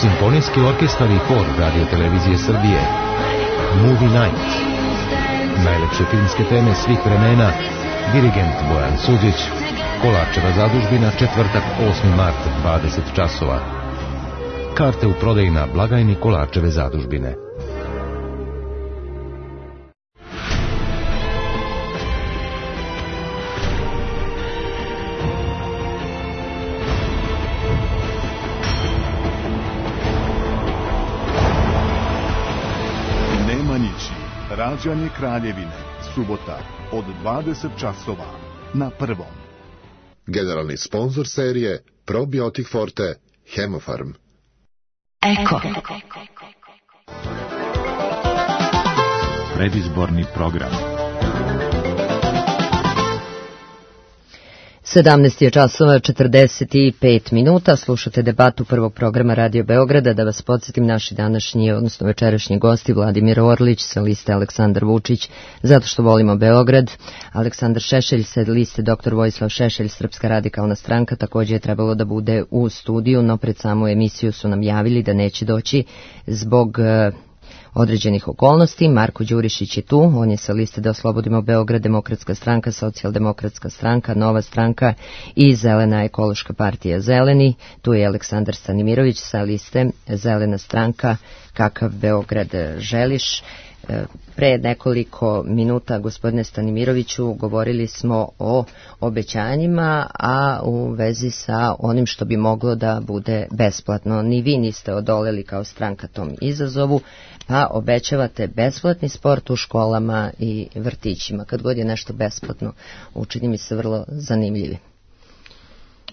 Simfonijski orkestar i hor Radio Televizije Srbije. Movie Night. Najlepše filmske teme svih vremena. Dirigent Bojan Suđić. Kolarčeva zadužbina, četvrtak 8. mart 20 časova. Karte u prodaji na blagajni Kolarčeve zadužbine. Rađanje Kraljevine, subota od 20 časova na Prvom. Generalni sponzor serije Probiotik Forte Hemofarm. Eko. Predizborni program. 17 je časova 45 minuta, slušate debatu prvog programa Radio Beograda. Da vas podsjetim, naši današnji, odnosno večerašnji gosti, Vladimir Orlić sa liste Aleksandar Vučić, zato što volimo Beograd, Aleksandar Šešelj sa liste Dr. Vojislav Šešelj, Srpska radikalna stranka, također je trebalo da bude u studiju, no pred samu emisiju su nam javili da neće doći zbog određenih okolnosti. Marko Đurišić je tu, on je sa liste Da oslobodimo Beograd, Demokratska stranka, Socijaldemokratska stranka, Nova stranka i Zelena ekološka partija Zeleni. Tu je Aleksandar Stanimirović sa liste Zelena stranka, Kakav Beograd želiš. Pre nekoliko minuta, gospodine Stanimiroviću, govorili smo o obećanjima, a u vezi sa onim što bi moglo da bude besplatno. Ni vi niste odoleli kao stranka tom izazovu, pa obećavate besplatni sport u školama i vrtićima. Kad god je nešto besplatno, učini mi se vrlo zanimljivi.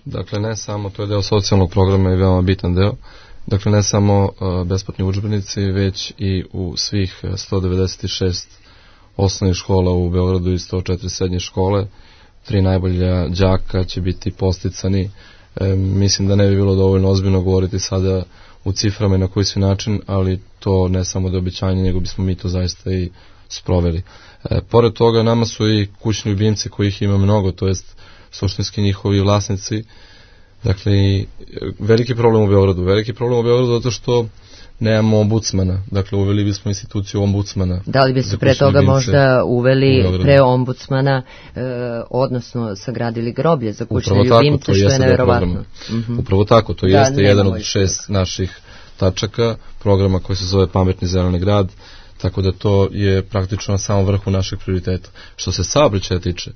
Dakle, ne samo, to je deo socijalnog programa i veoma bitan deo. Dakle, ne samo besplatni udžbenici, već i u svih 196 osnovnih škola u Beogradu i 104 srednje škole. 3 najbolja đaka će biti posticani. Mislim da ne bi bilo dovoljno ozbiljno govoriti sada u ciframa i na koji svi način, ali to ne samo da obećanje, nego bismo mi to zaista i sproveli. Pored toga, nama su i kućni ljubimci kojih ima mnogo, to jest suštinski njihovi vlasnici. Dakle, veliki problem u Beogradu zato što nemamo ombudsmana. Dakle, uveli bismo instituciju ombudsmana. Da li bi se pre toga možda uveli pre ombudsmana, odnosno sagradili groblje za kućne ljubimce, što je neverovatno. Upravo tako, to jeste jedan od 6 naših tačaka programa koji se zove Pametni zeleni grad, tako da to je praktično na samom vrhu našeg prioriteta. Što se saobraćaja tiče,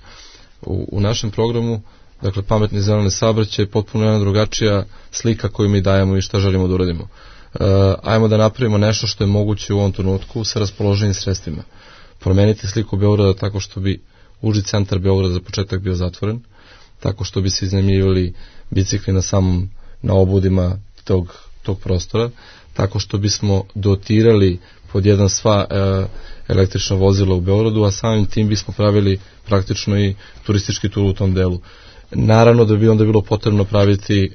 u našem programu, dakle, pametni zeleni saobraćaj je potpuno jedna drugačija slika koju mi dajemo i šta želimo da uradimo. Ajmo da napravimo nešto što je moguće u ovom trenutku sa raspoloženim sredstvima. Promeniti sliku Beograda tako što bi uži centar Beograda za početak bio zatvoren, tako što bi se iznajmljivali bicikli na obudima tog prostora, tako što bismo dotirali pod jedan sva električna vozila u Beogradu, a samim tim bismo pravili praktično i turistički tur u tom delu. Naravno da bi onda bilo potrebno praviti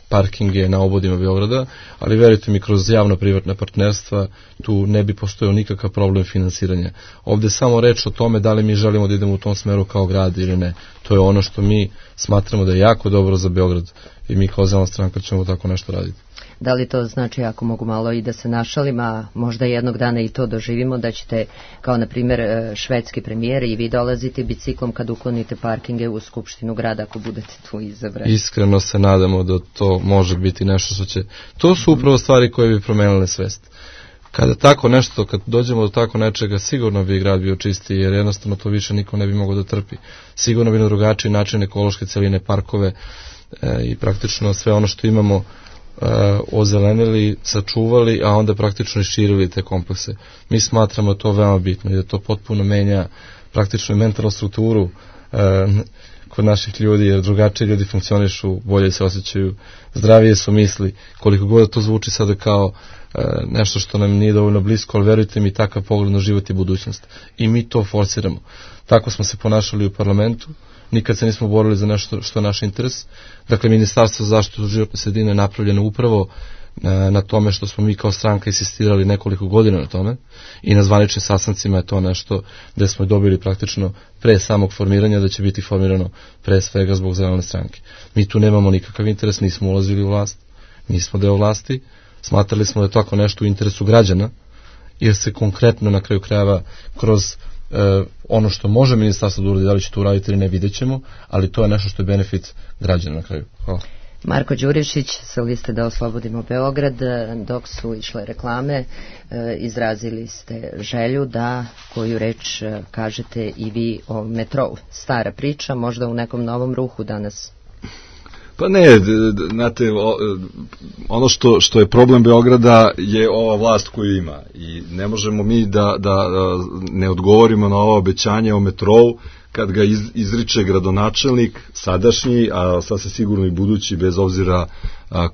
parkinge na obodima Beograda, ali verujte mi, kroz javno-privatna partnerstva tu ne bi postojao nikakav problem finansiranja. Ovde je samo reč o tome da li mi želimo da idemo u tom smeru kao grad ili ne. To je ono što mi smatramo da je jako dobro za Beograd i mi kao Zelena stranka ćemo tako nešto raditi. Da li to znači, ako mogu malo i da se našalim, a možda jednog dana i to doživimo, da ćete, kao na primjer švedski premijer, i vi dolaziti biciklom kad uklonite parkinge u Skupštinu grada ako budete tu izabrani? Iskreno se nadamo da to može biti nešto što će... To su upravo stvari koje bi promenile svest. Kada tako nešto, kad dođemo do tako nečega, sigurno bi grad bio čisti, jer jednostavno to više niko ne bi mogao da trpi. Sigurno bi na drugačiji način ekološke celine, parkove i praktično sve ono što imamo ozelenili, sačuvali, a onda praktično širili te komplekse. Mi smatramo to veoma bitno i da to potpuno menja praktično i mentalnu strukturu kod naših ljudi, jer drugačije ljudi funkcionišu, bolje se osjećaju, zdravije su misli, koliko god to zvuči sada kao nešto što nam nije dovoljno blisko, ali verujte mi, takav pogled na život i budućnost. I mi to forsiramo. Tako smo se ponašali u parlamentu, nikad se nismo borili za nešto što je naš interes. Dakle, Ministarstvo za zaštitu životne sredine je napravljeno upravo na tome što smo mi kao stranka insistirali nekoliko godina na tome i na zvaničnim sastancima je to nešto gde smo dobili praktično pre samog formiranja da će biti formirano pre svega zbog Zelene stranke. Mi tu nemamo nikakav interes, nismo ulazili u vlast, nismo deo vlasti, smatrali smo da je tako nešto u interesu građana, jer se konkretno na kraju krajeva kroz ono što može ministarstvo da uradi, da li će to uraditi ili ne, vidjet ćemo, ali to je nešto što je benefit građana na kraju. Hvala. Marko Đurišić sa liste Da oslobodimo Beograd, dok su išle reklame, izrazili ste želju da koju reč kažete i vi o metrou. Stara priča, možda u nekom novom ruhu danas. Pa ne, znate, ono što je problem Beograda je ova vlast koju ima i ne možemo mi da ne odgovorimo na ovo obećanje o metrou kad ga izriče gradonačelnik sadašnji, a sasvim sigurno i budući, bez obzira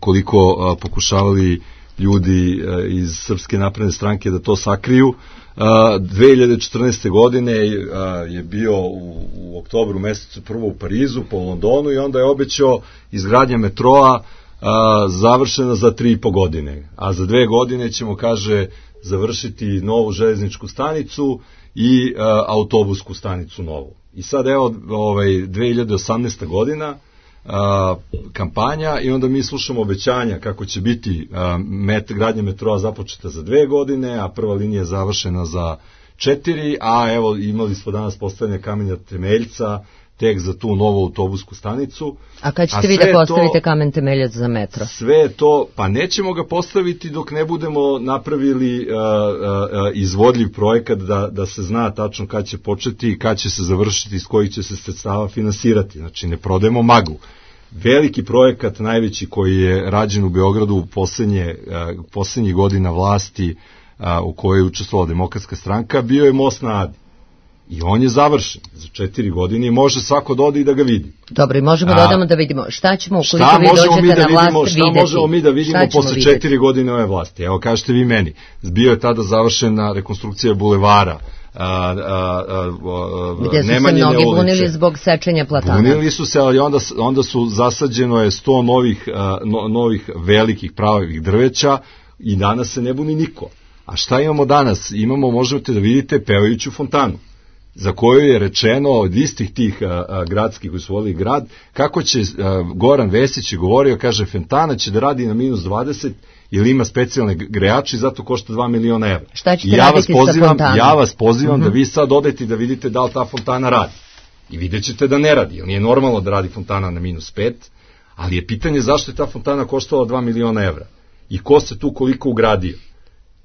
koliko pokušavali ljudi iz Srpske napredne stranke da to sakriju. 2014. godine je bio u oktobru mesecu prvo u Parizu, po Londonu, i onda je obećao izgradnja metroa završena za 3,5 godine. A za 2 godine ćemo, kaže, završiti novu železničku stanicu i autobusku stanicu novu. I sad evo 2018. godina, kampanja, i onda mi slušamo obećanja kako će biti gradnja metroa započeta za 2 godine, a prva linija je završena za 4, a evo imali smo danas postavljanje kamenja temeljca tek za tu novu autobusku stanicu. A kad ćete vi da postavite kamen temeljac za metro? Sve to, pa nećemo ga postaviti dok ne budemo napravili izvodljiv projekat da se zna tačno kad će početi i kad će se završiti, iz kojih će se sredstava finansirati. Znači, ne prodajemo maglu. Veliki projekat, najveći koji je rađen u Beogradu u poslednjih godina vlasti u kojoj je učestvovala Demokratska stranka, bio je most na Adi. I on je završen za 4 godine i može svako da ode i da ga vidi. Dobro, i možemo da odemo da vidimo šta ćemo ukoliko vi dođete na vlast videti. Šta možemo mi da vidimo posle 4 godine ove vlasti? Evo, kažete vi meni, bio je tada završena rekonstrukcija bulevara, gdje su se mnogi bunili zbog sečenja platana. Bunili su se, ali onda su zasađeno je 100 novih velikih pravih drveća i danas se ne buni niko. A šta imamo danas? Možete da vidite pevajuću fontanu, za koju je rečeno od istih tih gradskih koji su volili grad, kako će Goran Vesić je govorio, kaže, fontana će da radi na -20 ili ima specijalne grejače i zato košta 2 miliona evra. Šta ćete raditi sa fontanom? Ja vas pozivam da vi sad odete da vidite da li ta fontana radi. I vidjet ćete da ne radi, jer nije normalno da radi fontana na -5, ali je pitanje zašto je ta fontana koštala 2 miliona evra i ko se tu koliko ugradio.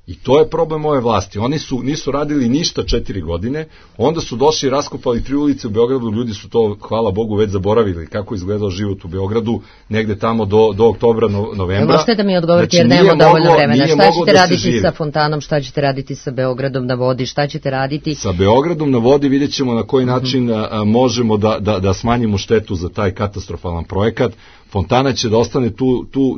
I to je problem ove vlasti. Oni nisu radili ništa 4 godine, onda su došli i raskopali 3 ulice u Beogradu, ljudi su to, hvala Bogu, već zaboravili kako izgledao život u Beogradu, negde tamo do oktobra, novembra. Možete da mi odgovorite, jer nemamo dovoljno vremena. Šta ćete raditi sa fontanom, šta ćete raditi sa Beogradom na vodi, šta ćete raditi? Sa Beogradom na vodi vidjet ćemo na koji način možemo da smanjimo štetu za taj katastrofalan projekat. Fontana će da ostane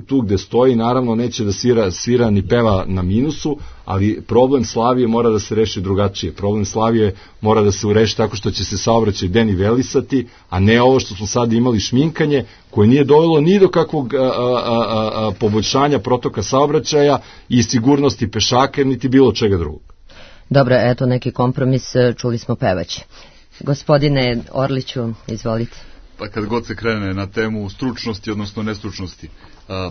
tu gde stoji, naravno neće da svira ni peva na minusu, ali problem Slavije mora da se reši drugačije. Problem Slavije mora da se reši tako što će se saobraćaj denivelisati, a ne ovo što smo sad imali šminkanje, koje nije dovelo ni do kakvog poboljšanja protoka saobraćaja i sigurnosti pešaka, niti bilo čega drugog. Dobro, eto neki kompromis, čuli smo pevaće. Gospodine Orliću, izvolite. Pa kad god se krene na temu stručnosti, odnosno nestručnosti,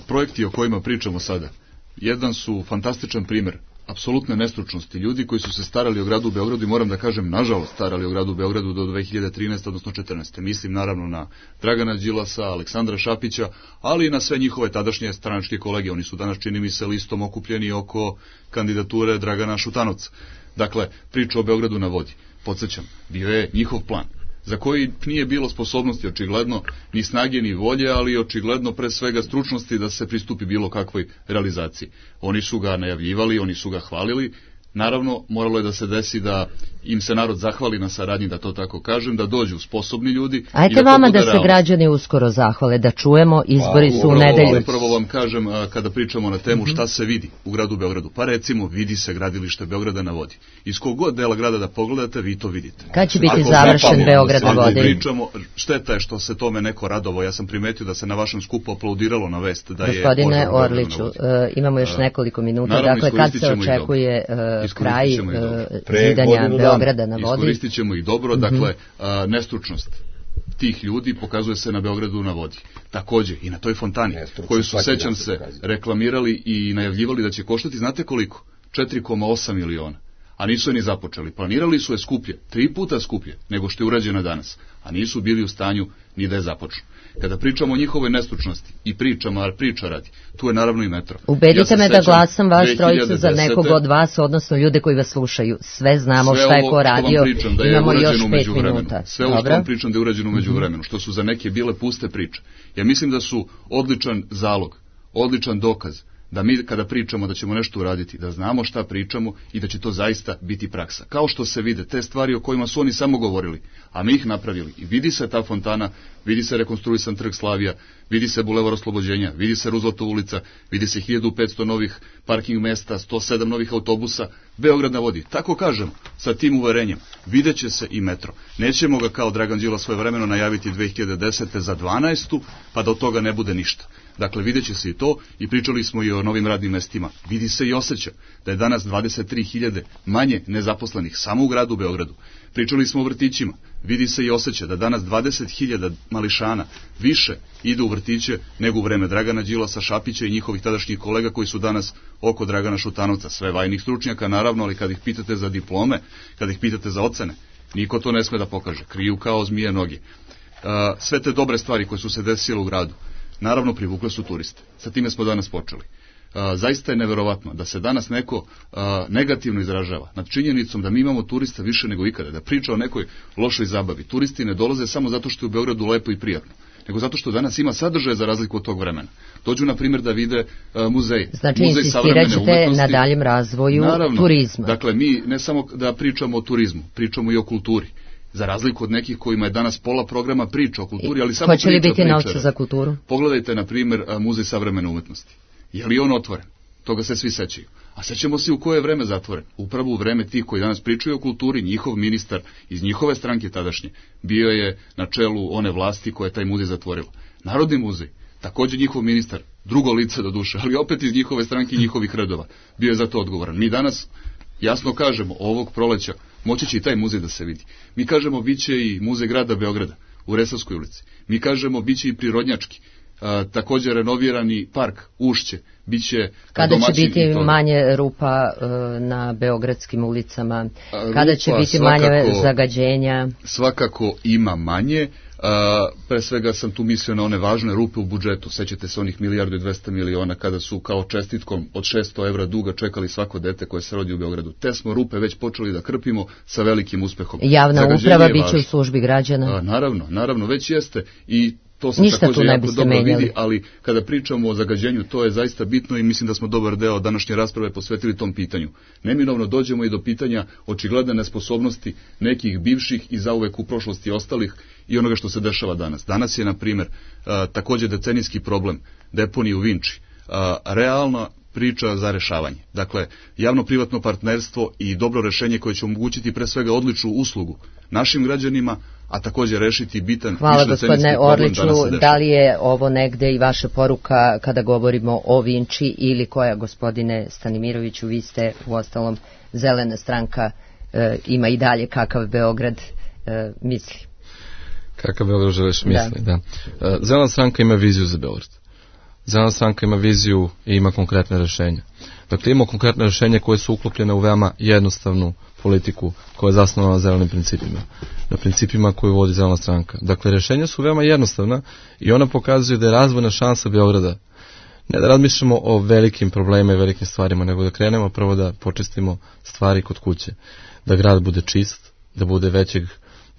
projekti o kojima pričamo sada, jedan su fantastičan primer apsolutne nestručnosti. Ljudi koji su se starali o gradu Beogradu, i moram da kažem, nažalost, starali o gradu Beogradu do 2013. odnosno 2014. Mislim naravno na Dragana Đilasa, Aleksandra Šapića, ali i na sve njihove tadašnje stranačke kolege. Oni su danas, čini mi se, listom okupljeni oko kandidature Dragana Šutanovca. Dakle, priča o Beogradu na vodi. Podsjećam, bio je njihov plan, za koji nije bilo sposobnosti, očigledno, ni snage, ni volje, ali očigledno pre svega stručnosti da se pristupi bilo kakvoj realizaciji. Oni su ga najavljivali, oni su ga hvalili. Naravno, moralo je da se desi da im se narod zahvali na saradnji, da to tako kažem, da dođu sposobni ljudi. Ajte vama da se građani uskoro zahvale, da čujemo, izbori su u nedelju. Upravo vam kažem, kada pričamo na temu šta se vidi u gradu Beogradu, pa recimo vidi se gradilište Beograda na vodi. Iz kog god dela grada da pogledate, vi to vidite. Kad će biti završen Beograd na vodi? Pričamo, šteta je što se tome neko radovao. Ja sam primetio da se na vašem skupu aplaudiralo na vest da je... Gospodine Orliću, imamo još nekoliko minuta, dakle kad se očekuje kraj zidanja Beograda na vodi? Iskoristit ćemo ih dobro, dakle, nestručnost tih ljudi pokazuje se na Beogradu na vodi. Takođe, i na toj fontani, koju su, sećam se, reklamirali i najavljivali da će koštati, znate koliko? 4,8 miliona. a nisu je ni započeli. Planirali su je skuplje, 3 puta skuplje nego što je urađeno danas, a nisu bili u stanju ni da je započnu. Kada pričamo o njihovoj nestručnosti i pričamo, a priča radi, tu je naravno i metro. Ubedite me da glasam vaš trojicu za nekog od vas, odnosno ljude koji vas slušaju. Sve znamo šta je ko radio, imamo još 5 minuta. Sve ovo što vam pričam da je urađeno u međuvremenu, što su za neke bile puste priče. Ja mislim da su odličan zalog, odličan dokaz da mi kada pričamo da ćemo nešto uraditi, da znamo šta pričamo i da će to zaista biti praksa. Kao što se vide te stvari o kojima su oni samo govorili, a mi ih napravili. I vidi se ta fontana, vidi se rekonstruisan trg Slavija, vidi se Bulevar Oslobođenja, vidi se Rooseveltova ulica, vidi se 1500 novih parking mesta, 107 novih autobusa, Beograd na vodi. Tako kažemo, sa tim uverenjem, vidjet će se i metro. Nećemo ga kao Dragan Đilas svojevremeno najaviti 2010. za 12. pa da od toga ne bude ništa. Dakle, vidjet će se i to, i pričali smo i o novim radnim mestima. Vidi se i osjeća da je danas 23.000 manje nezaposlenih samo u gradu Beogradu. Pričali smo o vrtićima. Vidi se i osjeća da danas 20.000 mališana više ide u vrtiće nego u vreme Dragana Đilasa, Šapića i njihovih tadašnjih kolega koji su danas oko Dragana Šutanovca. Sve vajnih stručnjaka, naravno, ali kad ih pitate za diplome, kad ih pitate za ocene, niko to ne sme da pokaže. Kriju kao zmije noge. Sve te dobre stvari koje su se desile u gradu, naravno privukle su turiste. Sa time smo danas počeli. Zaista je neverovatno da se danas neko negativno izražava nad činjenicom da mi imamo turista više nego ikada, da priča o nekoj lošoj zabavi. Turisti ne dolaze samo zato što je u Beogradu lepo i prijatno, nego zato što danas ima sadržaje za razliku od tog vremena. Dođu, na primjer, da vide muzej. Znači, insistirat ćete na daljem razvoju turizma. Dakle, mi ne samo da pričamo o turizmu, pričamo i o kulturi. Za razliku od nekih kojima je danas pola programa priča o kulturi, ali samo priča. Hoće li biti novca za kulturu? Pogledajte, na primjer, Muzej savremene umetnosti. Je li on otvoren? Toga se svi sećaju. A sećamo se u koje je vreme zatvoren. Upravo u vreme tih koji danas pričaju o kulturi, njihov ministar iz njihove stranke tadašnje bio je na čelu one vlasti koja je taj muzej zatvorila. Narodni muzej, također njihov ministar, drugo lice do duše, ali opet iz njihove stranke i njihovih redova, bio je za to odgovoran. Mi danas jasno kažemo, ovog proleća moći će i taj muzej da se vidi. Mi kažemo, bit će i muzej grada Beograda u Resavskoj ulici. Mi kažemo, bit će i prirodnjački. Također renovirani park Ušće, bit će kada će biti manje rupa na beogradskim ulicama, kada će biti manje zagađenja. Svakako ima manje. Pre svega sam tu mislio na one važne rupe u budžetu. Sećate se onih 1.200.000.000 kada su kao čestitkom od 600 evra duga čekali svako dete koje se rodi u Beogradu. Te smo rupe već počeli da krpimo sa velikim uspehom. Javna uprava bit će u službi građana. Naravno, već jeste i to se također jako dobro vidi, ali kada pričamo o zagađenju, to je zaista bitno i mislim da smo dobar deo današnje rasprave posvetili tom pitanju. Neminovno dođemo i do pitanja očigledne nesposobnosti nekih bivših i zauvek u prošlosti ostalih i onoga što se dešava danas. Danas je, na primjer, također decenijski problem deponije u Vinči. Realna priča za rešavanje. Dakle, javno-privatno partnerstvo i dobro rešenje koje će omogućiti pre svega odličnu uslugu našim građanima, a također rešiti bitan višdecenijski problem. Hvala, gospodine Orliću. Da li je ovo negde i vaša poruka kada govorimo o Vinči ili koja, gospodine Stanimiroviću, vi ste u ostalom Zelena stranka, ima i dalje kakav Beograd misli? Kakav Beograd želiš misli, da. Zelena stranka ima viziju za Beograd. Zelena stranka ima viziju i ima konkretne rešenja. Dakle, ima konkretne rešenja koje su uklopljene u veoma jednostavnu politiku koja je zasnovana na zelenim principima. Na principima koju vodi Zelena stranka. Dakle, rešenja su veoma jednostavna i ona pokazuje da je razvojna šansa Beograda. Ne da razmišljamo o velikim problemima i velikim stvarima, nego da krenemo prvo da počistimo stvari kod kuće. Da grad bude čist, da bude većeg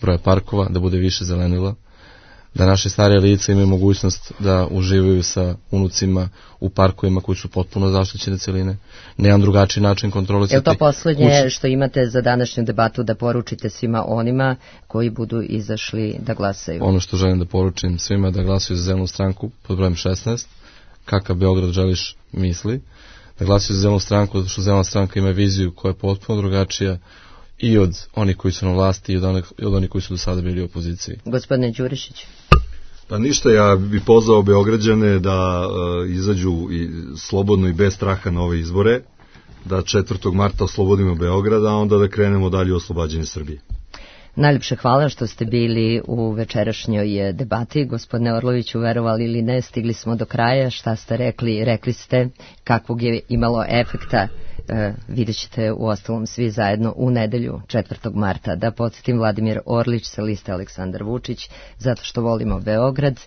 broja parkova, da bude više zelenila, da naše starije lice imaju mogućnost da uživaju sa unucima u parkovima koji su potpuno zaštićene celine, na jedan drugačiji način kontrolisati. Je to poslednje što imate za današnju debatu da poručite svima onima koji budu izašli da glasaju? Ono što želim da poručim svima da glasaju za Zelenu stranku pod brojem 16, kakav Beograd želiš misli, da glasaju za Zelenu stranku zato što Zelena stranka ima viziju koja je potpuno drugačija i od onih koji su na vlasti i od onih koji su do sada bili u opoziciji. Gospodine Đurišić. Pa ništa, ja bih pozvao Beograđane da izađu i slobodno i bez straha na ove izbore, da 4. marta oslobodimo Beograd, a onda da krenemo dalje u oslobađanje Srbije. Najljepše hvala što ste bili u večerašnjoj debati. Gospodine Orloviću, verovali ili ne, stigli smo do kraja. Šta ste rekli? Rekli ste kakvog je imalo efekta. Vidjet ćete u ostalom svi zajedno u nedelju 4. marta. Da podsjetim, Vladimir Orlić sa liste Aleksandar Vučić, zato što volimo Beograd,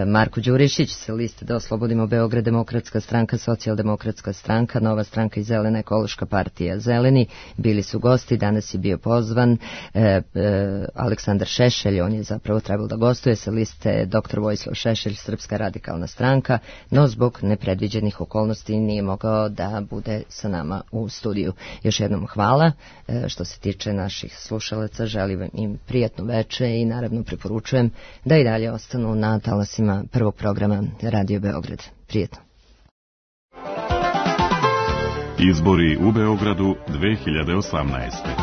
Marko Đurišić sa liste Da oslobodimo Beograd, Demokratska stranka, Socijaldemokratska stranka, Nova stranka i Zelena ekološka partija Zeleni, bili su gosti. Danas je bio pozvan Aleksandar Šešelj, on je zapravo trebalo da gostuje sa liste Dr. Vojislav Šešelj, Srpska radikalna stranka, no zbog nepredviđenih okolnosti nije mogao da bude sa nama u studiju. Još jednom hvala. Što se tiče naših slušalaca, želim im prijatno veče i naravno preporučujem da i dalje ostanu na talasima prvog programa Radio Beograd. Prijetno. Izbori u Beogradu 2018.